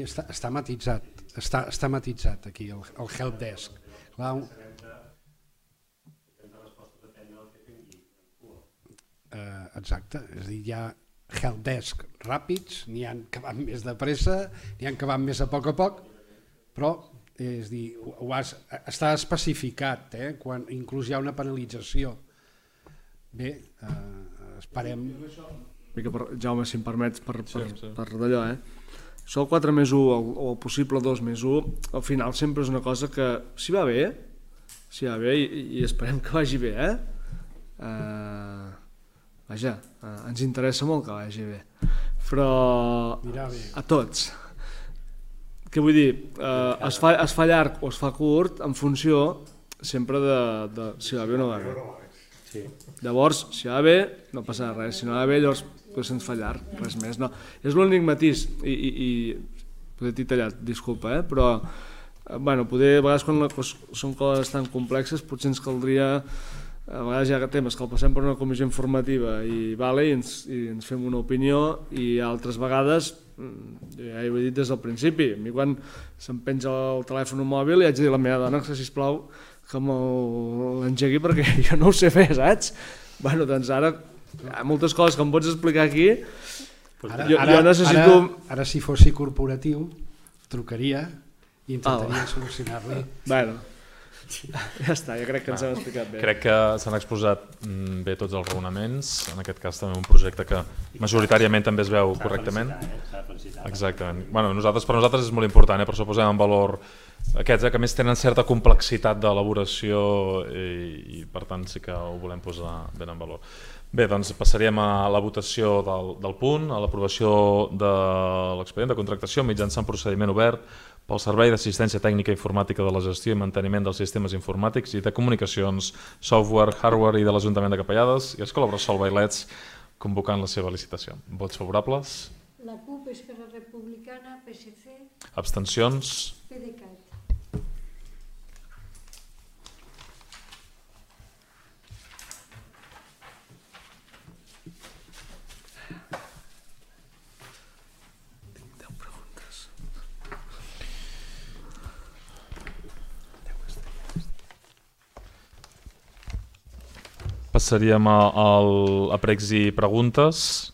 està matitzat, està matitzat aquí, el helpdesk. Exacte, és a dir, hi ha helpdesk ràpids, n'hi ha que van més de pressa, n'hi ha que van més a poc, però és dir, està especificat, quan inclús hi ha una penalització. Bé, esperem... Jaume, si em permets, per d'allò, això el 4+1 o el possible 2+1, al final sempre és una cosa que, si va bé, i esperem que vagi bé, vaja, ens interessa molt que vagi bé, però a tots. Què vull dir? Es fa llarg o es fa curt en funció sempre de si va bé o no va bé. Llavors, si va bé, no passa res, si no va bé, llavors se'ns fa llarg, res més. És l'únic matís, i potser t'he tallat, disculpa, però poder, a vegades quan són coses tan complexes potser ens caldria, a vegades hi ha temes que el passem per una comissió informativa i ens fem una opinió, i altres vegades, ja ho he dit des del principi, a mi quan se'm penja el telèfon mòbil li haig de dir a la meva dona que sisplau que l'engegui perquè jo no ho sé fer, saps? Doncs ara hi ha moltes coses que em pots explicar aquí. Jo necessito... Ara si fossi corporatiu trucaria i intentaria solucionar-li. Ja està, jo crec que ens hem explicat bé. Crec que s'han exposat bé tots els raonaments, en aquest cas també un projecte que majoritàriament també es veu correctament. Exactament. Per nosaltres és molt important, per això posem en valor aquests que més tenen certa complexitat d'elaboració i per tant sí que ho volem posar ben en valor. Bé, doncs passaríem a la votació del punt, a l'aprovació de l'expedient de contractació mitjançant procediment obert pel Servei d'Assistència Tècnica i Informàtica de la Gestió i Manteniment dels Sistemes Informàtics i de Comunicacions, Software, Hardware i de l'Ajuntament de Capellades i Escola Bressol Bailets, convocant la seva licitació. Vots favorables? La CUP, Esquerra Republicana, PSC... Abstencions? PDeCAT. Passaríem a pregs i preguntes.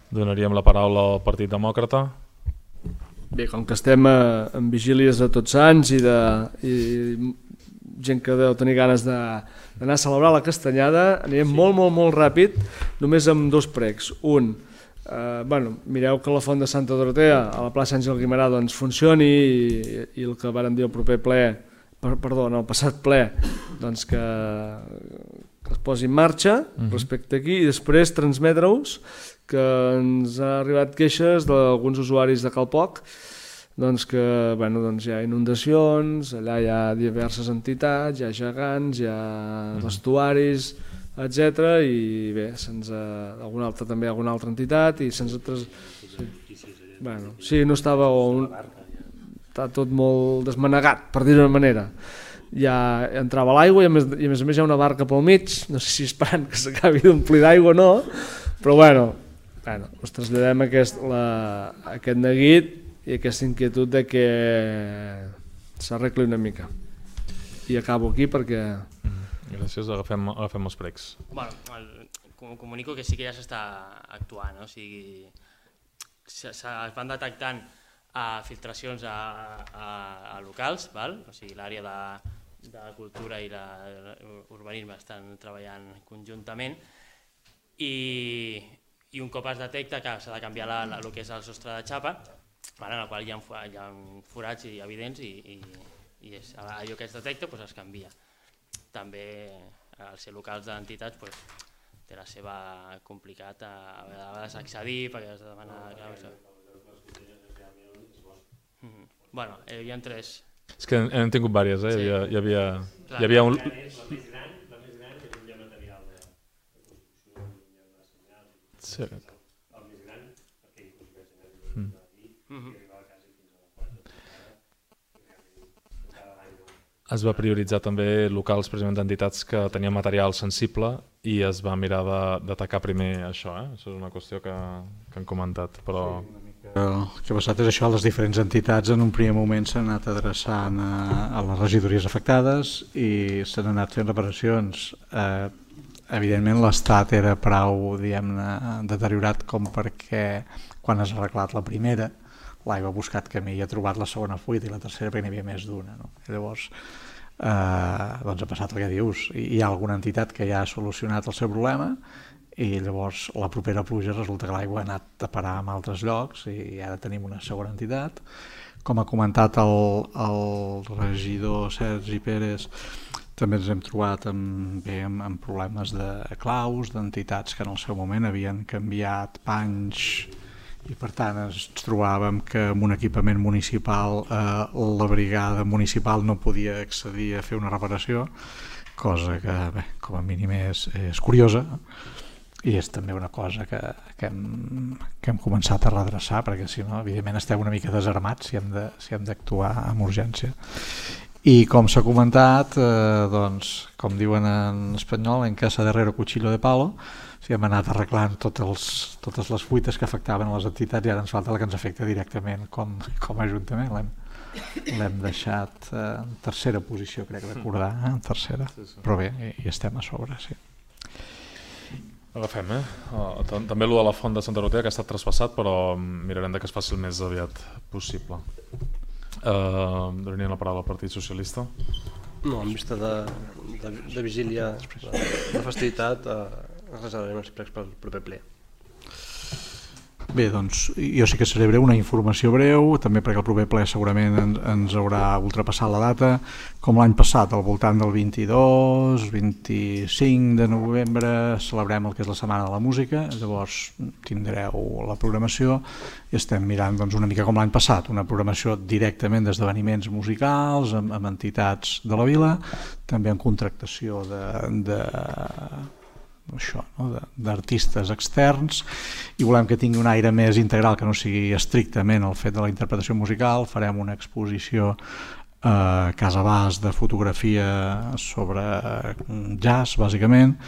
Donaríem la paraula al Partit Demòcrata. Bé, com que estem en vigílies de Tots Sants i gent que deu tenir ganes d'anar a celebrar la Castanyada, anirem molt ràpid, només amb 2 pregs. Un, mireu que la font de Santa Dorotea a la plaça Àngel Guimerà doncs funcioni i el que vàrem dir el passat ple, doncs que es posi en marxa respecte aquí, i després transmetre-us que ens ha arribat queixes d'alguns usuaris de Calpoc, doncs que hi ha inundacions, allà hi ha diverses entitats, hi ha gegants, hi ha vestuaris, etc. I bé, alguna altra entitat, i se'ns ha sí, no estava... Està tot molt desmanegat, per dir-ho d'una manera. Ja entrava l'aigua i a més a més hi ha una barca pel mig, no sé si esperant que s'acabi d'omplir d'aigua o no, però us traslladem aquest neguit i aquesta inquietud de que s'arregli una mica. I acabo aquí perquè... Gràcies, agafem els pregs. Comunico que sí que ja s'està actuant, o sigui, es van detectant filtracions a locals, o sigui, l'àrea de cultura i l'urbanisme estan treballant conjuntament, i un cop es detecta que s'ha de canviar el que és el sostre de xapa, en el qual hi ha forats evidents i allò que es detecta es canvia. També al ser locals d'entitats té la seva complicat a vegades accedir perquè has de demanar... Hi havia 3. És que hem tingut diverses, hi havia un... La més gran és un material de construcció, Sí. El més gran, perquè inclús més gran i arribava quasi fins a la quarta. Es va prioritzar també locals precisament d'entitats que tenien material sensible i es va mirar d'atacar primer això. Això és una qüestió que han comentat, però... El que ha passat és això, les diferents entitats en un primer moment s'han anat adreçant a les regidories afectades i s'han anat fent reparacions. Evidentment l'estat era prou, diguem-ne, deteriorat com perquè quan has arreglat la primera l'aigua ha buscat camí i ha trobat la segona fuita i la tercera perquè n'hi havia més d'una. Llavors ha passat el que dius, hi ha alguna entitat que ja ha solucionat el seu problema i llavors la propera pluja resulta que l'aigua ha anat a parar en altres llocs i ara tenim una segona entitat. Com ha comentat el regidor Sergi Pérez, també ens hem trobat amb problemes de claus, d'entitats que en el seu moment havien canviat panys i per tant ens trobàvem que amb un equipament municipal la brigada municipal no podia accedir a fer una reparació, cosa que com a mínim és curiosa. I és també una cosa que hem començat a redreçar, perquè si no, evidentment estem una mica desarmats si hem d'actuar amb urgència. I com s'ha comentat, com diuen en espanyol, en casa de herrero cuchillo de palo, hem anat arreglant totes les fuites que afectaven a les entitats i ara ens falta la que ens afecta directament com a Ajuntament. L'hem deixat en tercera posició, crec recordar, en tercera, però bé, hi estem a sobre, sí. Agafem, també allò de la font de Santa Dorotea que ha estat traspassat, però mirarem que es faci el més aviat possible. Donaríem la paraula al Partit Socialista. No, en vista de vigília de festivitat, reservarem els pregs pel proper ple. Bé, doncs jo sí que seré breu, una informació breu, també perquè el proper ple segurament ens haurà ultrapassat la data. Com l'any passat, al voltant del 22-25 de novembre, celebrem el que és la Setmana de la Música, llavors tindreu la programació i estem mirant una mica com l'any passat, una programació directament d'esdeveniments musicals, amb entitats de la vila, també en contractació d'artistes externs, i volem que tingui un aire més integral, que no sigui estrictament el fet de la interpretació musical. Farem una exposició a Casa Bas de fotografia sobre jazz, bàsicament,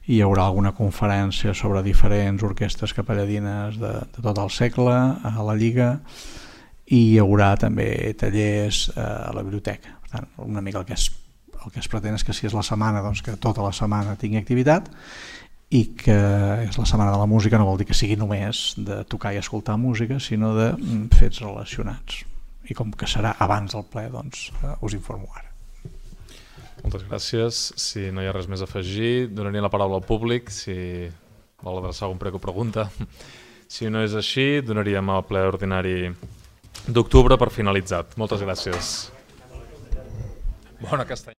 i hi haurà alguna conferència sobre diferents orquestres capelladines de tot el segle a la Lliga, i hi haurà també tallers a la biblioteca. Per tant, una mica el que es pretén és que si és la setmana, doncs que tota la setmana tingui activitat, i que és la setmana de la música no vol dir que sigui només de tocar i escoltar música, sinó de fets relacionats. I com que serà abans del ple, doncs us informo ara. Moltes gràcies. Si no hi ha res més a afegir, donaria la paraula al públic, si vol adreçar algun prec o pregunta. Si no és així, donaríem el ple ordinari d'octubre per finalitzat. Moltes gràcies. Bona castanya.